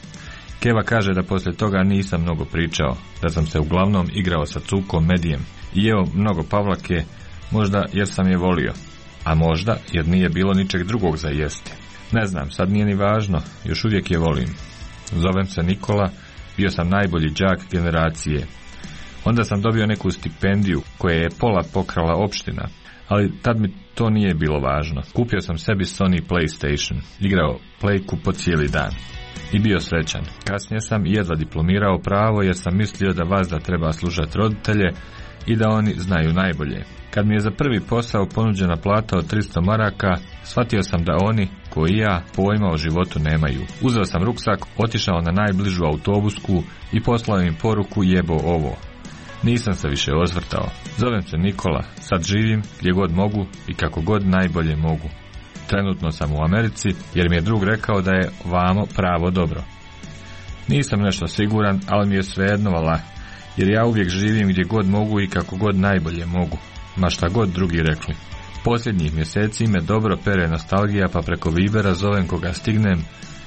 S11: Keva kaže da poslije toga nisam mnogo pričao, da sam se uglavnom igrao sa cukom Medijem i jeo mnogo pavlake, možda jer sam je volio, a možda jer nije bilo ničeg drugog za jesti. Ne znam, sad nije ni važno, još uvijek je volim. Zovem se Nikola, bio sam najbolji đak generacije. Onda sam dobio neku stipendiju koje je pola pokrala opština, ali tad mi to nije bilo važno. Kupio sam sebi Sony PlayStation, igrao plejku po cijeli dan i bio srećan. Kasnije sam jedva diplomirao pravo jer sam mislio da vazda treba slušati roditelje i da oni znaju najbolje. Kad mi je za prvi posao ponuđena plata od 300 maraka, shvatio sam da oni, koji i ja, pojma o životu nemaju. Uzeo sam ruksak, otišao na najbližu autobusku i poslao im poruku jebo ovo. Nisam se više osvrtao. Zovem se Nikola, sad živim gdje god mogu i kako god najbolje mogu. Trenutno sam u Americi jer mi je drug rekao da je vamo pravo dobro. Nisam nešto siguran, ali mi je svejedno vala, jer ja uvijek živim gdje god mogu i kako god najbolje mogu, ma šta god drugi rekli. Posljednjih mjeseci me dobro pere nostalgija, pa preko Vibera zovem koga stignem,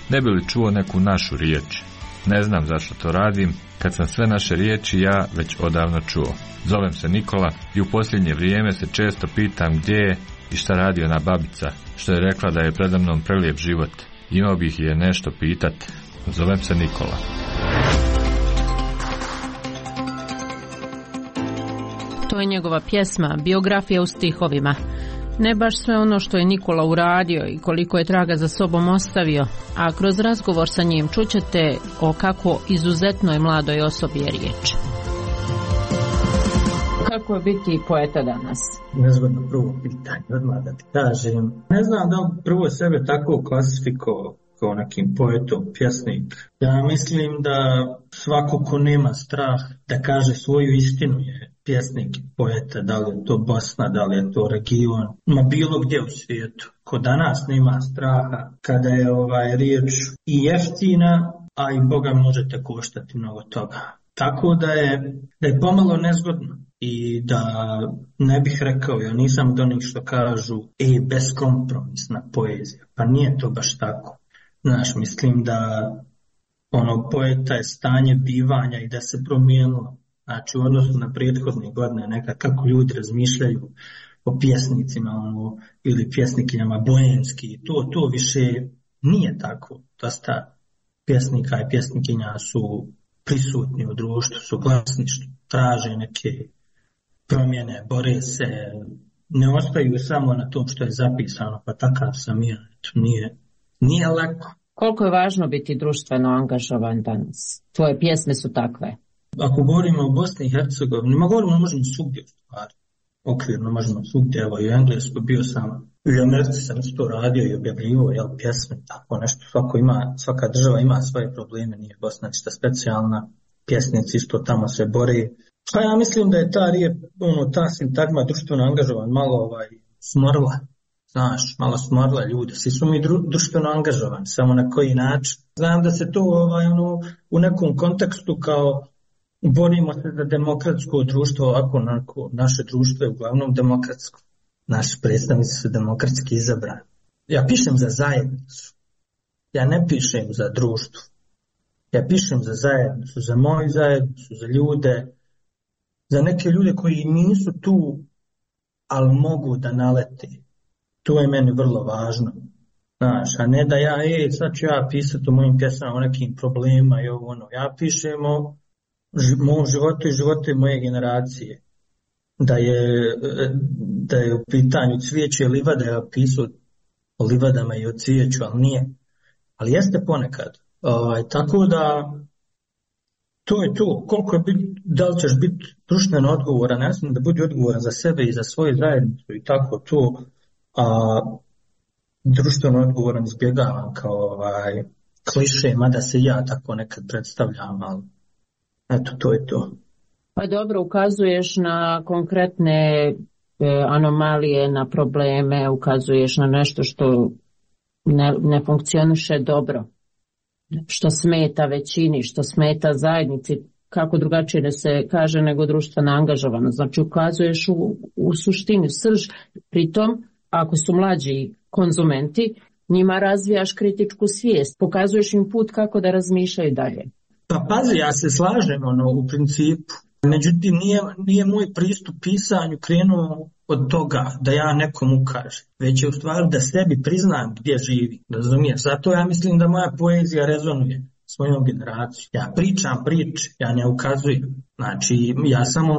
S11: ne bi li čuo neku našu riječ. Ne znam zašto to radim, kad sam sve naše riječi ja već odavno čuo. Zovem se Nikola i u posljednje vrijeme se često pitam gdje je i šta radi ona babica, što je rekla da je predamnom prelijep život. Imao bih je nešto pitat. Zovem se Nikola.
S8: To je njegova pjesma, biografija u stihovima. Ne baš sve ono što je Nikola uradio i koliko je traga za sobom ostavio, a kroz razgovor sa njim čućete o kako izuzetnoj mladoj osobi je riječ. Kako je biti poeta danas?
S9: Nezgodno prvo pitanje, odmah da ti kažem. Ne znam da prvo sebe tako klasifikovao kao nekim poetom, pjesnik. Ja mislim da svako ko nema strah da kaže svoju istinu je pjesnik i poeta, da li je to Bosna, da li je to region, ma bilo gdje u svijetu. Ko danas nema straha kada je riječ i jeftina, a i Boga možete koštati mnogo toga. Tako da je pomalo nezgodno i da ne bih rekao, ja nisam od onih što kažu beskompromisna poezija, pa nije to baš tako. Znaš, mislim da poeta je stanje bivanja i da se promijenilo. Znači, u odnosu na prethodne godine, nekad kako ljudi razmišljaju o pjesnicima ili pjesnikinjama boemski, to više nije tako. Dosta pjesnika i pjesnikinja su prisutni u društvu, su glasni, traže neke promjene, bore se, ne ostaju samo na tom što je zapisano, pa takav sam ja, nije lako.
S8: Koliko je važno biti društveno angažovan danas? Tvoje pjesme su takve.
S9: Ako govorimo o Bosni i Hercegovini, možemo svugdje u stvari. Okvirno možemo svugdje, evo i u Engleskoj bio sam, i u Americi sam isto radio i objavljivo, pjesme, tako nešto, svaka država ima svoje probleme, nije Bosna ništa specijalna, pjesnici isto tamo se bore. Pa ja mislim da je ta sintagma društveno angažovan malo smorla. Znaš, malo smorla ljudi, svi su mi društveno angažovani, samo na koji način. Znam da se to u nekom kontekstu kao borimo se za demokratsko društvo, ovako naše društvo je uglavnom demokratsko. Naši predstavnici su demokratski izabrani. Ja pišem za zajednicu, ja ne pišem za društvo. Ja pišem za zajednicu, za moju zajednicu, za ljude, za neke ljude koji nisu tu, ali mogu da nalete. To je meni vrlo važno. Znaš, a ne da sad ću ja pisati o mojim pjesama o nekim problemima i Ja pišem o mom životu i životu moje generacije. Da je u pitanju cvijeće i livada, ja pisao o livadama i o cvijeću, ali nije. Ali jeste ponekad. Tako da to je to. Koliko je da li ćeš biti društveno odgovoran, ja sam da budi odgovoran za sebe i za svoju zajednicu i tako to. Društveno odgovoran izbjegavam kao kliše, mada se ja tako nekad predstavljam, ali eto, to je to.
S8: Pa dobro, ukazuješ na konkretne anomalije, na probleme, ukazuješ na nešto što ne funkcioniše dobro, što smeta većini, što smeta zajednici, kako drugačije da se kaže nego društvena angažovanost. Znači ukazuješ u suštini srž, pritom ako su mlađi konzumenti, njima razvijaš kritičku svijest, pokazuješ im put kako da razmišljaju dalje.
S9: Pa pazi, ja se slažem u principu. Međutim, nije moj pristup pisanju krenuo od toga da ja nekom ukažem, već je u stvari da sebi priznam gdje živi, razumiješ? Zato ja mislim da moja poezija rezonuje s mojom generacijom. Ja pričam priče, ja ne ukazujem. Znači, ja samo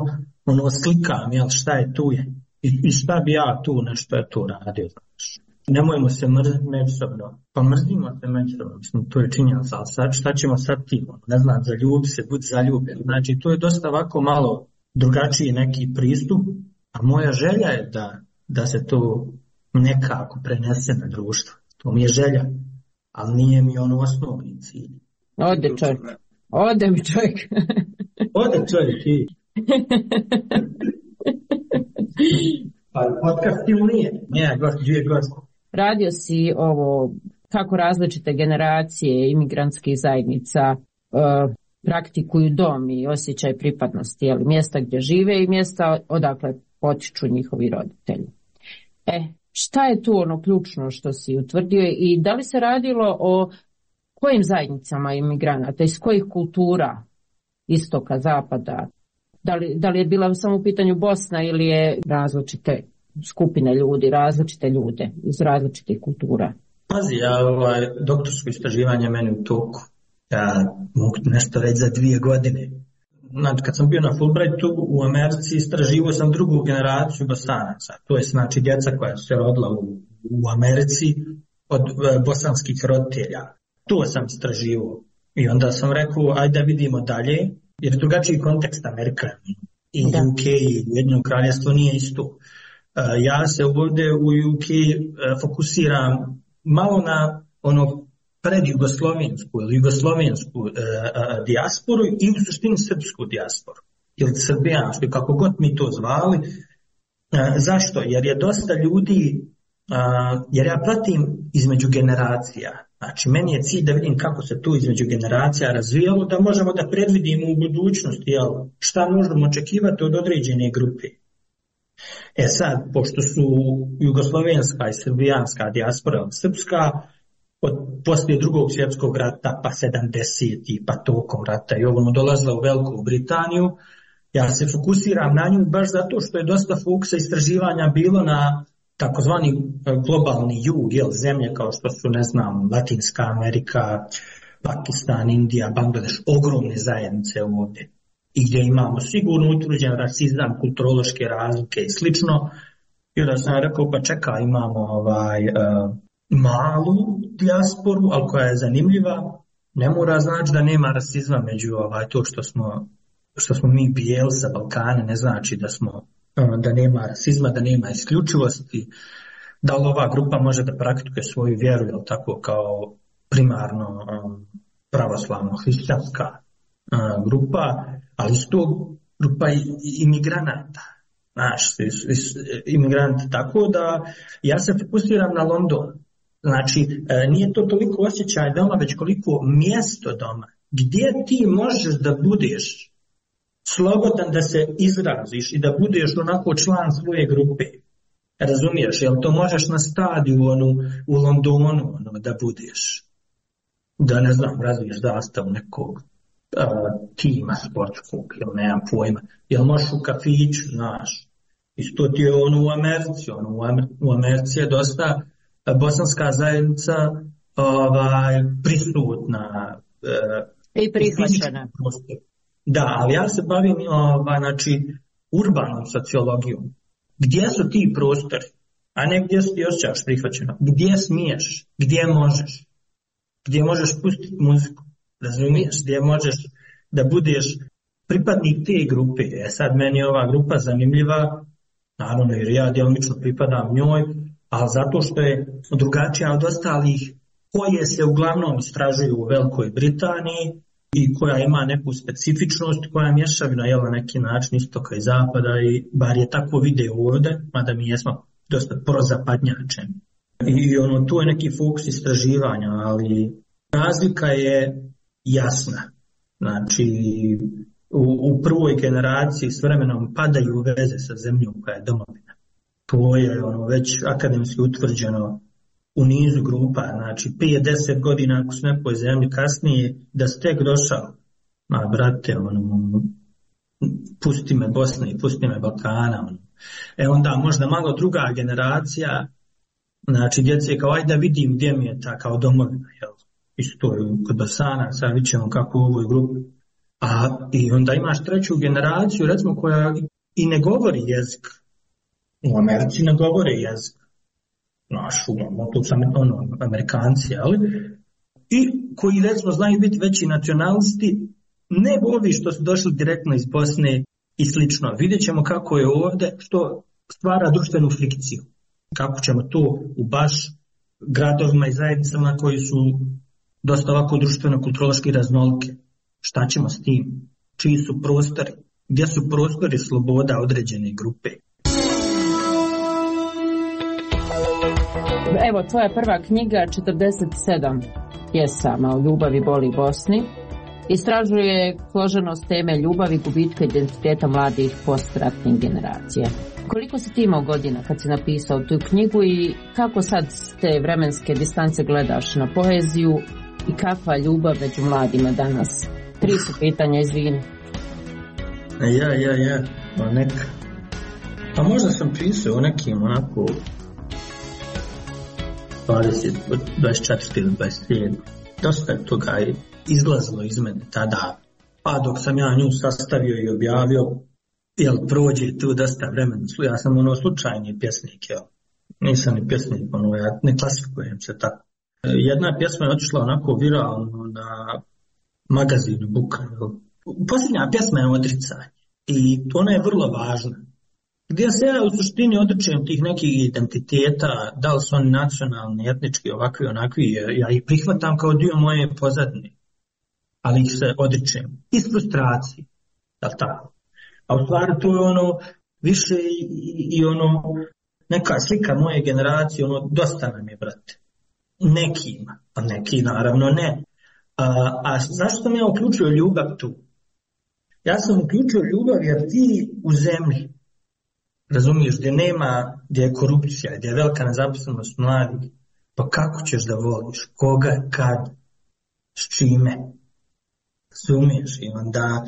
S9: slikam, šta je tu je. I šta bi ja tu nešto je tu radio, znaš. Nemojmo se mrziti međusobno. Pa mrzimo se međusobno, mislim, to je činjenica, ali šta ćemo sad tim? Ne znam, zaljubi se, budi zaljubljen. Znači, to je dosta ovako malo drugačiji neki pristup, a moja želja je da se to nekako prenese na društvo. To mi je želja, ali nije mi osnovni cilj.
S8: Ode čovjek. Ode mi čovjek.
S9: Ode čovjek i... Pa podcast ili nije? Nije, dvije gosti.
S8: Radio si ovo, kako različite generacije imigrantskih zajednica praktikuju dom i osjećaj pripadnosti, jel, mjesta gdje žive i mjesta odakle potiču njihovi roditelji. Šta je tu ključno što si utvrdio i da li se radilo o kojim zajednicama imigranata, iz kojih kultura, istoka, zapada? Da li je bila samo u pitanju Bosna ili je različite skupine ljudi, različite ljude iz različitih kultura?
S9: Pazi, doktorsko istraživanje meni u toku. Ja mogu nešto reći za 2 godine. znači kad sam bio na Fulbrightu u Americi, istraživao sam drugu generaciju Bosanaca. To je znači djeca koja su se rodila u Americi od bosanskih roditelja. To sam istraživao. I onda sam rekao, ajde da vidimo dalje, jer drugačiji kontekst Amerika i UK i Ujedinjeno kraljevstvo nije isto. Ja se ovdje u UK fokusiram malo na ono predjugoslovensku ili jugoslovensku dijasporu i u suštini srpsku dijasporu ili srbijansku, kako god mi to zvali. Zašto? Jer je dosta ljudi, jer ja pratim između generacija. Znači, meni je cilj da vidim kako se to između generacija razvijalo, da možemo da predvidimo u budućnosti šta možemo očekivati od određene grupe. Sad, pošto su jugoslovenska i srbijanska dijaspora srpska, poslije drugog svjetskog rata, pa 70. pa tokom rata i ovo dolazila u Veliku Britaniju, ja se fokusiram na nju baš zato što je dosta fokusa istraživanja bilo na takozvani globalni jug, zemlje kao što su, ne znam, Latinska Amerika, Pakistan, Indija, Bangladeš, ogromne zajednice ovdje. I gdje imamo sigurno utvrđen rasizam, kulturološke razlike i slično. I onda sam rekao, pa čekaj, imamo malu dijasporu, ali koja je zanimljiva. Ne mora znači da nema rasizma među to što smo mi bijeli sa Balkana, ne znači da nema rasizma, da nema isključivosti, da li ova grupa može da praktikuje svoju vjeru, jel tako, kao primarno pravoslavno hrišćanska grupa, ali isto grupa imigranata, imigranti, tako da ja se fokusiram na London. Znači, nije to toliko osjećaj doma, već koliko mjesto doma, gdje ti možeš da budeš slobodan da se izraziš i da budeš onako član svoje grupe. Razumiješ, jel to možeš na stadionu u Londonu da budeš, da ne znam, razviješ zastavu nekog tima sportskog, jel nemam pojma, jel možeš u kafiću, znaš, isto ti je u Americi, u Americi je dosta bosanska zajednica prisutna
S8: i prihvaćena.
S9: Da, ali ja se bavim urbanom sociologijom. Gdje su ti prostori, a ne gdje ti osjećaš prihvaćeno? Gdje smiješ, gdje možeš pustiti muziku, razumiješ, gdje možeš da budeš pripadnik te grupe. Sad meni je ova grupa zanimljiva, naravno jer ja djelomično pripadam njoj, ali zato što je drugačija od ostalih koje se uglavnom istražuju u Velikoj Britaniji i koja ima neku specifičnost, koja je mješavina na neki način istoka i zapada, i bar je tako video ovdje, mada mi jesmo dosta prozapadnjačeni. I tu je neki fokus istraživanja, ali razlika je jasna. Znači, u prvoj generaciji s vremenom padaju veze sa zemljom koja je domovina. To je već akademski utvrđeno u nizu grupa, znači 5-10 godina ako su nekoj zemlji kasnije, da ste tek došao, brate, pusti me Bosne i pusti me Balkana. Onda možda malo druga generacija, znači djece kao ajde da vidim gdje mi je ta kao domovina, jel? Isto kod Bosana, sad vidit ćemo kako u ovoj grupi. I onda imaš treću generaciju, recimo, koja i ne govori jezik. U Americi ne govore jezik. To su Amerikanci, ali i koji recimo znaju biti veći nacionalisti, ne ovi što su došli direktno iz Bosne i slično. Vidjet ćemo kako je ovdje, što stvara društvenu frikciju. Kako ćemo to u baš gradovima i zajednicama koji su dosta ovako društveno-kulturološki raznolike. Šta ćemo s tim? Čiji su prostori? Gdje su prostori sloboda određene grupe?
S8: Evo, tvoja prva knjiga, 47 pjesama o ljubavi, boli i Bosni, istražuje složenost teme ljubavi, gubitka identiteta mladih postratnih generacija. Koliko si ti imao godina kad si napisao tu knjigu i kako sad s te vremenske distance gledaš na poeziju i kakva ljubav među mladima danas? 3 su pitanja, izvini.
S9: Neka. Pa možda sam pisao o nekim onako 20, 24 ili 27. Dosta je toga izlazilo iz mene tada. Pa dok sam ja nju sastavio i objavio, jel prođe tu dosta vremena. Ja sam slučajni pjesnik, jel. Nisam ni pjesnik, ja ne klasifikujem se tako. Jedna pjesma je otišla onako viralno na magazinu Buka. Posljednja pjesma je Odricanje i ona je vrlo važna. Gdje se ja u suštini odričem tih nekih identiteta, da li su oni nacionalni, etnički, ovakvi, onakvi, ja ih prihvatam kao dio moje pozadine, ali ih se odričem iz frustracije, da li tako? A u stvari to je više i neka slika moje generacije, dosta nam je, brate. Nekima, a neki naravno ne. A zašto sam ja uključio ljubav tu? Ja sam uključio ljubav jer ti u zemlji, razumiješ, gdje je korupcija, gdje je velika nezaposlenost mladih, pa kako ćeš da voliš, koga, kad, s čime, razumiješ, i onda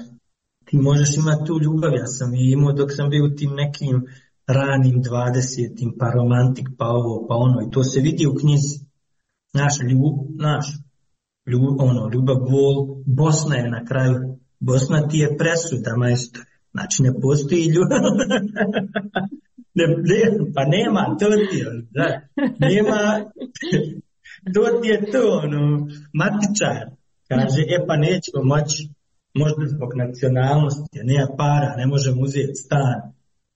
S9: ti možeš imati tu ljubav. Ja sam je imao dok sam bio u tim nekim ranim 20-tim, pa romantik, pa ovo, pa ono, i to se vidi u knjizi. Ljubav, bol, Bosna je na kraju, Bosna ti je presuda, majstore. Znači ne postoji ljubav. Pa nema, to ti je, da. Nema, to ti je to, matičar. Kaže, pa nećemo moći, možda zbog nacionalnosti, nema para, ne možemo uzeti stan.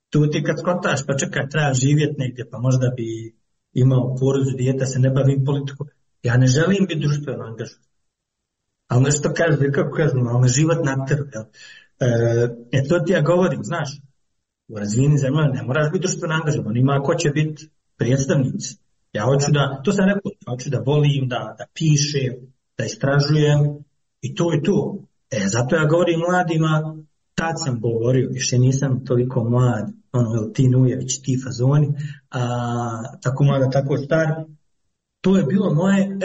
S9: Tu ti kad skotaš, pa čekaj, treba živjeti negdje, pa možda bi imao porodu, dijete, se ne bavim politikom. Ja ne želim biti društveno angažovan. Ali nešto kaže, kako kažem, ali život na trgu. To ti ja govorim, znaš, u razvijenim zemljama ne moraš biti društveno angažovan, ima ko će biti predstavnici. Ja hoću da, to sam rekao, hoću da volim, da pišem, da istražujem i to je to. Zato ja govorim mladima, tad sam govorio, više nisam toliko mlad, ti Nujević, ti fazoni, tako mlada, tako star. To je bilo moje,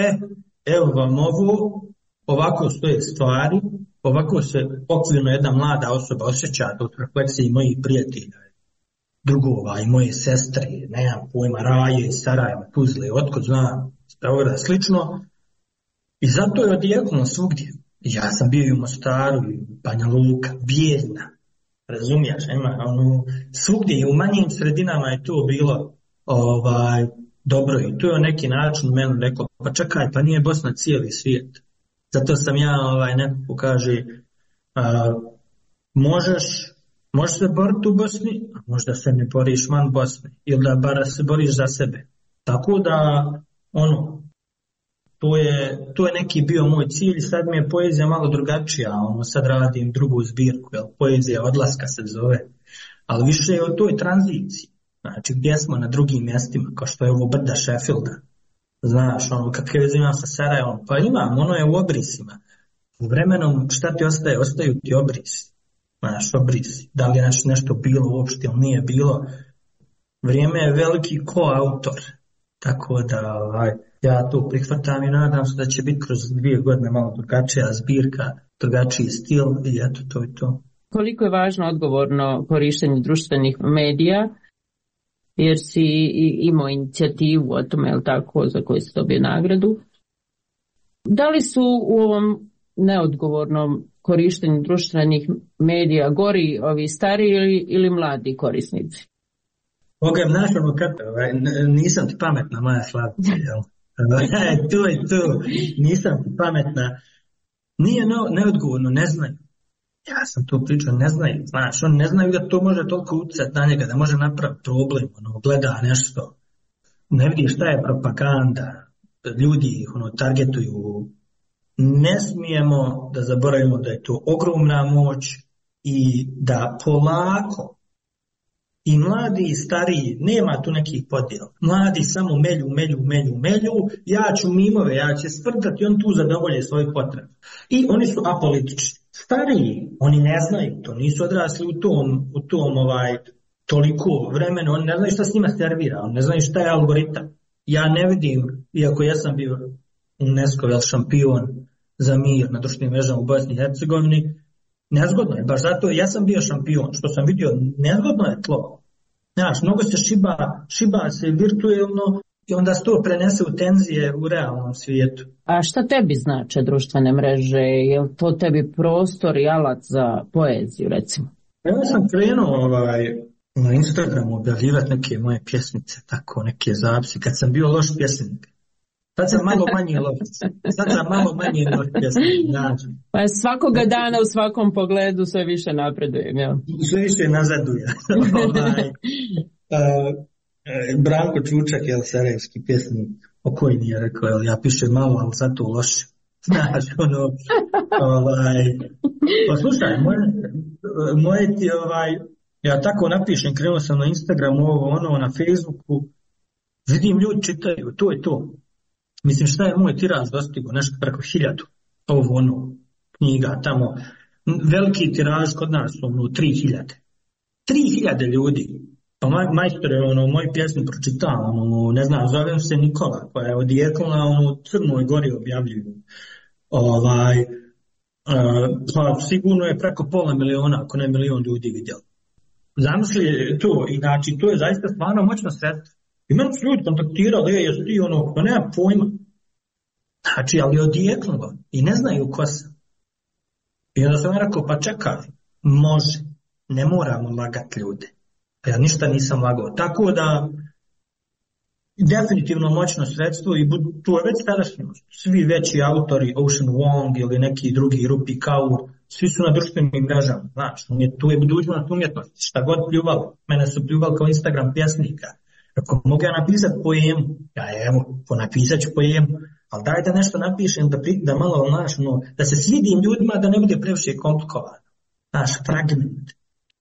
S9: evo vam ovo, ovako stoje stvari, ovako se okvirno jedna mlada osoba osjeća od refleksije mojih prijatelja, drugova i moje sestre, nemam pojma, Raje, Sarajeva, Tuzle, otkud znam, Beograda, slično. I zato je odjeknulo svugdje. Ja sam bio i u Mostaru, i u Banja Luka, Bijeljna, razumiješ, svugdje i u manjim sredinama je to bilo dobro i to je na neki način meni rekao, pa čekaj, pa nije Bosna cijeli svijet. Zato sam ja nekako kaže, možeš se boriti u Bosni, a možda se ne boriš van Bosne, ili da bar se boriš za sebe. Tako da, to je neki bio moj cilj, sad mi je poezija malo drugačija, sad radim drugu zbirku, poezija odlaska se zove, ali više je o toj tranziciji, znači gdje smo na drugim mjestima, kao što je ovo brda Sheffielda, znaš, kakve veze imam sa Sarajevom, pa imam, ono je u obrisima, u vremenom šta ti ostaje, ostaju ti obrisi, znaš, obrisi, da li je nešto bilo uopšte ili nije bilo, vrijeme je veliki koautor, tako da, ja to prihvatam i nadam se da će biti kroz 2 godine malo drugačija zbirka, drugačiji stil i eto, to je to.
S8: Koliko je važno odgovorno korištenje društvenih medija, jer si imao inicijativu o tome, je tako, za koju si dobio nagradu. Da li su u ovom neodgovornom korištenju društvenih medija gori ovi stariji ili mladi korisnici?
S9: Nisam ti pametna, moja slavica, jel? To je to, nisam ti pametna. Nije neodgovorno, ne znaju. Ja sam to pričao, ne znaju, znaš, oni ne znaju da to može toliko utjecati na njega, da može napraviti problem, gleda nešto, ne vidi šta je propaganda, ljudi ih targetuju. Ne smijemo da zaboravimo da je to ogromna moć i da polako i mladi i stariji, nema tu nekih podjela. Mladi samo melju, ja ću mimove, ja ću sprdati, on tu zadovolje svoje potrebe. I oni su apolitični. Stariji, oni ne znaju to, nisu odrasli u tom toliko vremena, oni ne znaju šta s njima servira, oni ne znaju šta je algoritam. Ja ne vidim, iako ja sam bio UNESCO šampion za mir na društvenim mrežama u Bosni i Hercegovini, nezgodno je, baš zato ja sam bio šampion, što sam vidio, nezgodno je tlo. Znaš, mnogo se šiba se virtuelno, i onda se to prenese u tenzije u realnom svijetu.
S8: A šta tebi znače društvene mreže? Je li to tebi prostor i alat za poeziju, recimo?
S9: Ja sam krenuo na Instagramu objavljivati neke moje pjesmice, tako neke zapisi, kad sam bio loš pjesnik. Sad sam malo manje loš pjesnik. Znači.
S8: Pa svakoga dana u svakom pogledu sve više napredujem, jel?
S9: Sve više nazaduje. Branko Čučak, sarajevski pjesnik, pokojni je rekao, ja pišem malo, ali zato loše. Znaš, pa slušaj, moje ti, ja tako napišem, krenuo sam na Instagramu, na Facebooku, vidim ljudi čitaju, to je to. Mislim, šta je moj tiraž dostigo, nešto preko 1000, knjiga tamo, veliki tiraž kod nas, 3000. 3000 ljudi. Pa majstore, moju pjesmu pročitam, ne znam, zovem se Nikola, koja je odjekla, u Crnoj Gori objavljuju. Pa sigurno je preko 500.000, ako ne 1 milion ljudi vidjeli. Zamisli to, i znači to je zaista stvarno moćno sredstvo. I meni su ljudi kontaktirali, jesi ti pa nema pojma. Znači, ali odjeklo i ne znaju ko sam. I onda sam rekao, pa čekaj, može, ne moramo lagati ljude. Ja ništa nisam lagao. Tako da, definitivno moćno sredstvo i to je već sadašnjost. Svi veći autori, Ocean Wong ili neki drugi, Rupi Kaur, svi su na društvenim mrežama. Znači, tu je budućnost umjetnosti. Šta god pljuvalo. Mene su pljuvali kao Instagram pjesnika. Ako mogu ja napisati poemu, napisat ću poemu, ali daj da nešto napišem, da malo, da se svidim ljudima, da ne bude previše komplikovano. Fragment.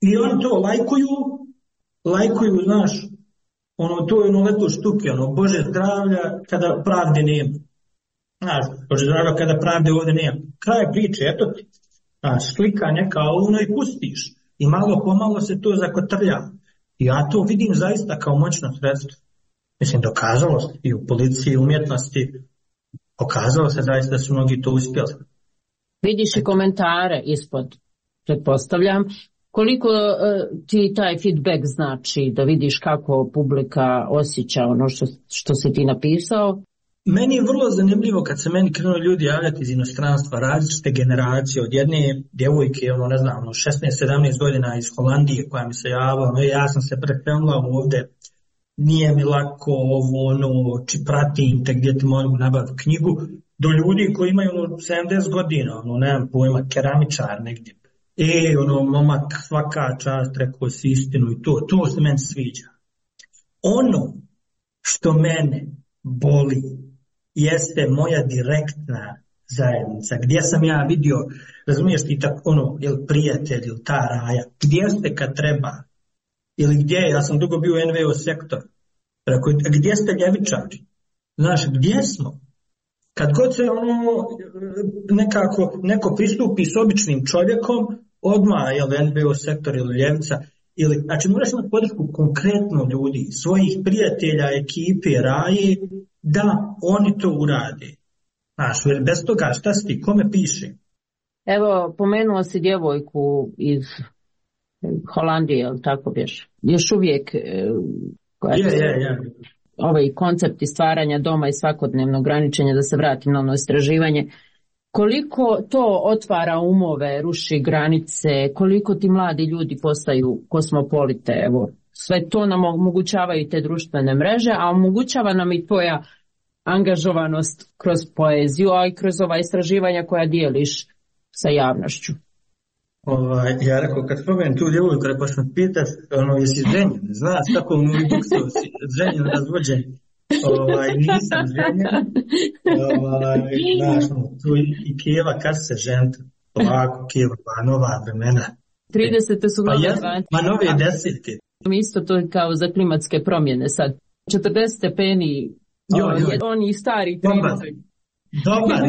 S9: I oni to lajkuju, to je leto štuke, Bože zdravlja kada pravde nema. Bože zdravlja kada pravde ovdje nema. Kraj priče, eto ti. Slika neka i pustiš. I malo pomalo se to zakotrlja. I ja to vidim zaista kao moćno sredstvo. Mislim, dokazalo se i u policiji, umjetnosti, pokazalo se zaista da su mnogi to uspjeli.
S8: Vidiš i komentare ispod, pretpostavljam. Koliko ti taj feedback znači da vidiš kako publika osjeća ono što si ti napisao?
S9: Meni je vrlo zanimljivo kad se meni krenuli ljudi javljati iz inostranstva, različite generacije, od jedne djevojke, 16-17 godina iz Holandije koja mi se javila, ja sam se prekrenula ovdje, nije mi lako pratim te gdje ti mogu nabaviti knjigu, do ljudi koji imaju 70 godina, nemam pojma, keramičar negdje. Momak, svaka čast, rekao si istinu i to se meni sviđa. Ono što mene boli jeste moja direktna zajednica, gdje sam ja vidio, razumiješ ti tako, ili prijatelj, ili ta raja, gdje ste kad treba, ili gdje, ja sam dugo bio u NVO sektor, gdje ste ljevičari, znaš, gdje smo? Kad god se neko pristupi s običnim čovjekom, odmah je NVO sektor ili ljevica, znači moraš imati podršku konkretno ljudi, svojih prijatelja, ekipe, raje, da oni to urade. Znaš, jer bez toga šta si ti, kome piše?
S8: Evo, pomenuo si djevojku iz Holandije, ili tako bješ? Još uvijek ovaj koncept stvaranja doma i svakodnevnog ograničenja, da se vratim na ono istraživanje. Koliko to otvara umove, ruši granice, koliko ti mladi ljudi postaju kosmopolite, evo, sve to nam omogućavaju te društvene mreže, a omogućava nam i tvoja angažovanost kroz poeziju, a i kroz ova istraživanja koja dijeliš sa javnošću.
S9: Ja rekao, kad spomenem tu djevojku, rekao sam pitat, jesi ženjen, znaš kako u Novi Buksu si ženjen, razvođen. Nisam ženjen, znaš, tu i Kijeva, kad se žent, ovako Kijeva, pa nova vremena.
S8: 30. su nove 20.
S9: Ma nove 10.
S8: Isto to kao za klimatske promjene sad. 40 stepeni, oni stari 30.
S9: Dobar,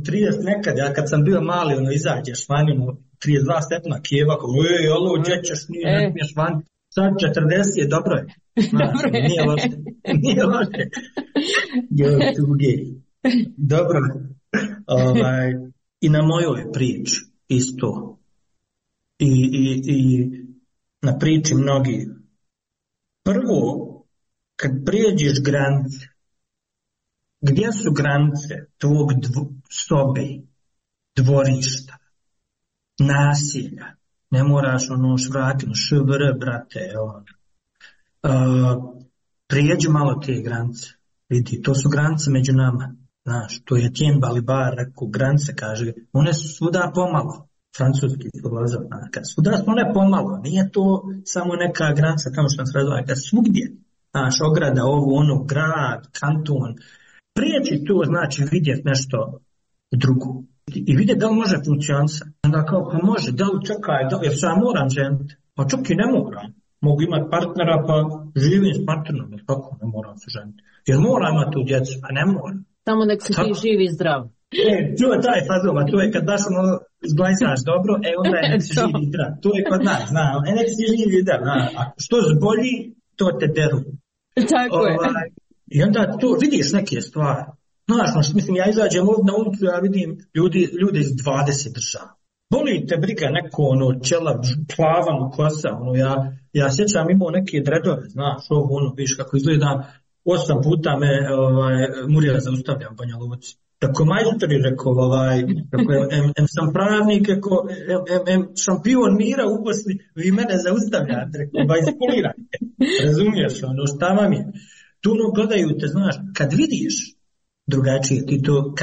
S9: 30 nekad, ja kad sam bio mali, izađeš vani, 32 stepena Kijeva, alo, gdje ćeš, ne smiješ vani. Sad 40 je, dobro je. Nije loše. Dobro. I na mojoj priči isto. I na priči mnogi. Prvo, kad prijeđeš granice, gdje su granice tvog sobe, dvorišta, nasilja? Ne moraš švratiti, švr, brate, prijeđi malo te granice. Vidi, to su granice među nama. Znaš, to je Tien Balibar rekao, granice, kaže, one su svuda pomalo. Francuski filozof, svuda su one pomalo. Nije to samo neka granica, kao što nam se razvoja, kad svugdje. Znaš, ograda, ovo, grad, kanton. Prijeći to znači vidjeti nešto drugo. I vidjeti da li može funkcionisati. Onda kao, pa može, da li čekaj, jer ja moram ženiti. Pa čak i ne moram. Mogu imati partnera, pa živim s partnerom, jer kako ne moram se ženiti. Jer moram imati tu djecu, a ne moram.
S8: Samo nek si ti živi i zdrav.
S9: To je taj fazova, to je kad baš zglajsaš dobro, onda je nek si živi i zdrav. To je kod nas, nek si živi i zdrav. A što zbolji, to te deru.
S8: Tako je.
S9: I onda tu vidiš neke stvari. Znaš, mislim, ja izađem ovdje na ulicu, ja vidim ljude iz 20 država. Boli te briga neko, čela, plavan kosa, ja sjećam imao neke dredove, znaš, viš kako izgleda, 8 puta me Murija zaustavljam u Banja Luci. Tako majstori rekao, sam pravnik, šampion mira u Bosni, vi mene zaustavljate, rekao, iskulirajte, razumiješ, šta vam je? Tu gledaju te, znaš, kad vidiš drugačije, ti to,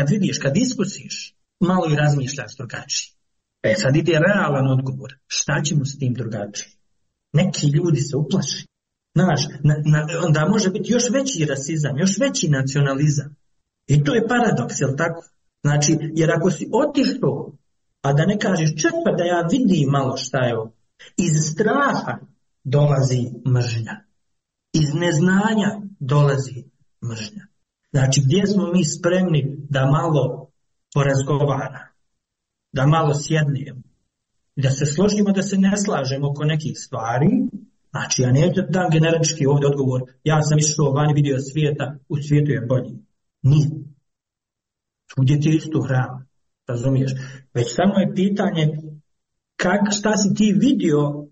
S9: kad iskusiš, malo i razmišljaš drugačije. Sad ide realan odgovor, šta ćemo s tim drugačije? Neki ljudi se uplaši. Znaš, onda može biti još veći rasizam, još veći nacionalizam. I to je paradoks, jel tako? Znači, jer ako si otišao, a da ne kažeš čekaj da ja vidim malo šta je ovo, iz straha dolazi mržnja. Iz neznanja dolazi mržnja. Znači, gdje smo mi spremni da malo porazgovaramo, da malo sjednemo, da se složimo, da se ne slažemo oko nekih stvari. Znači, ja neću da dam generički ovdje odgovor, ja sam išao vani vidio svijeta, u svijetu je bolji. Nije. Svugdje ti isto hrana, razumiješ? Već samo je pitanje šta si ti vidio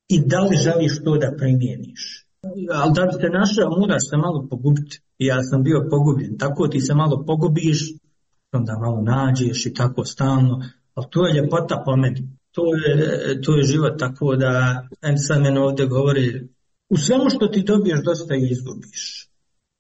S9: i da li želiš to da primijeniš. Ali da bi se našao, moraš se malo pogubiti. Ja sam bio pogubljen, tako ti se malo pogubiš, onda malo nađeš i tako stalno, ali to je ljepota po meni. To je život, tako da sad meni ovdje govori, u svemu što ti dobiješ dosta i izgubiš.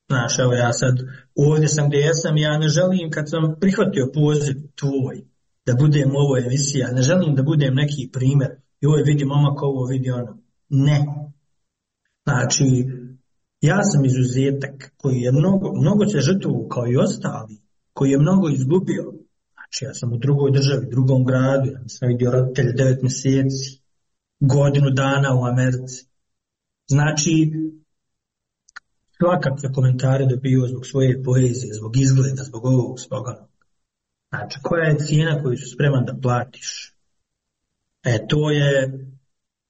S9: Znaš, evo ja sad ovdje sam gdje jesam, ja ne želim kad sam prihvatio poziv tvoj da budem u ovoj emisiji, ne želim da budem neki primjer, joj vidi momak ovo, vidi ono. Ne. Znači, ja sam izuzetak koji je mnogo se žrtvovao kao i ostali, koji je mnogo izgubio. Znači, ja sam u drugoj državi, drugom gradu, ja sam vidio roditelje 9 mjeseci, godinu dana u Americi. Znači, svakakve komentare dobio zbog svoje poezije, zbog izgleda, zbog ovog, zbog onog. Znači, koja je cijena koju su spreman da platiš?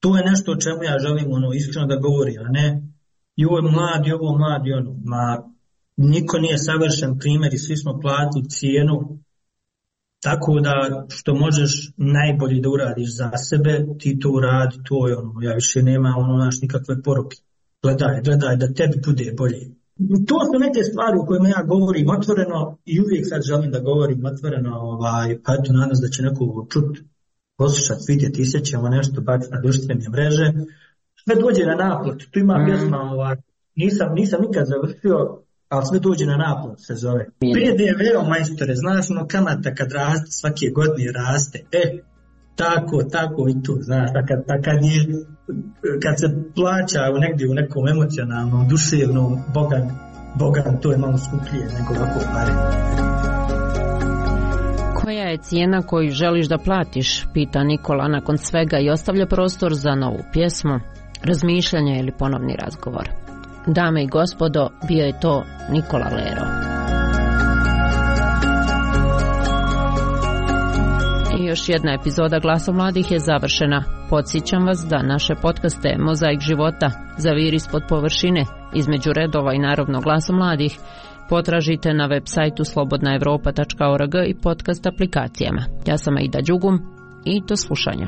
S9: To je nešto o čemu ja želim iskreno da govorim, a ne joj mladi, ovo mladi, ono. Niko nije savršen primjer i svi smo platili cijenu, tako da što možeš najbolje da uradiš za sebe, ti to uradi, to je ono, ja više nema nikakve poruke. Gledaj da tebi bude bolje. To su neke stvari u kojima ja govorim otvoreno i uvijek sad želim da govorim otvoreno, pa eto nadam se da će neko čuti, poslušati, vidjeti, isjećamo nešto, baciti na društvene mreže. Sve dođe na naplatu, tu ima pjesma, nisam nikad završio, ali sve dođe na naplatu se zove. PDV, majstore, znaš kamata kad raste, svake godine raste, tako i tu, znaš, kad se plaća negdje u nekom emocionalnom, duševnom, bogan, to je malo skuplje nego ovako pare.
S8: Koja je cijena koju želiš da platiš, pita Nikola nakon svega i ostavlja prostor za novu pjesmu, razmišljanje ili ponovni razgovor. Dame i gospodo, bio je to Nikola Lero. I još jedna epizoda Glasa mladih je završena. Podsjećam vas da naše podcaste Mozaik života, Zavir ispod površine, Između redova i naravno Glasa mladih potražite na web sajtu slobodnaevropa.org i podcast aplikacijama. Ja sam Aida Đugum i do slušanja.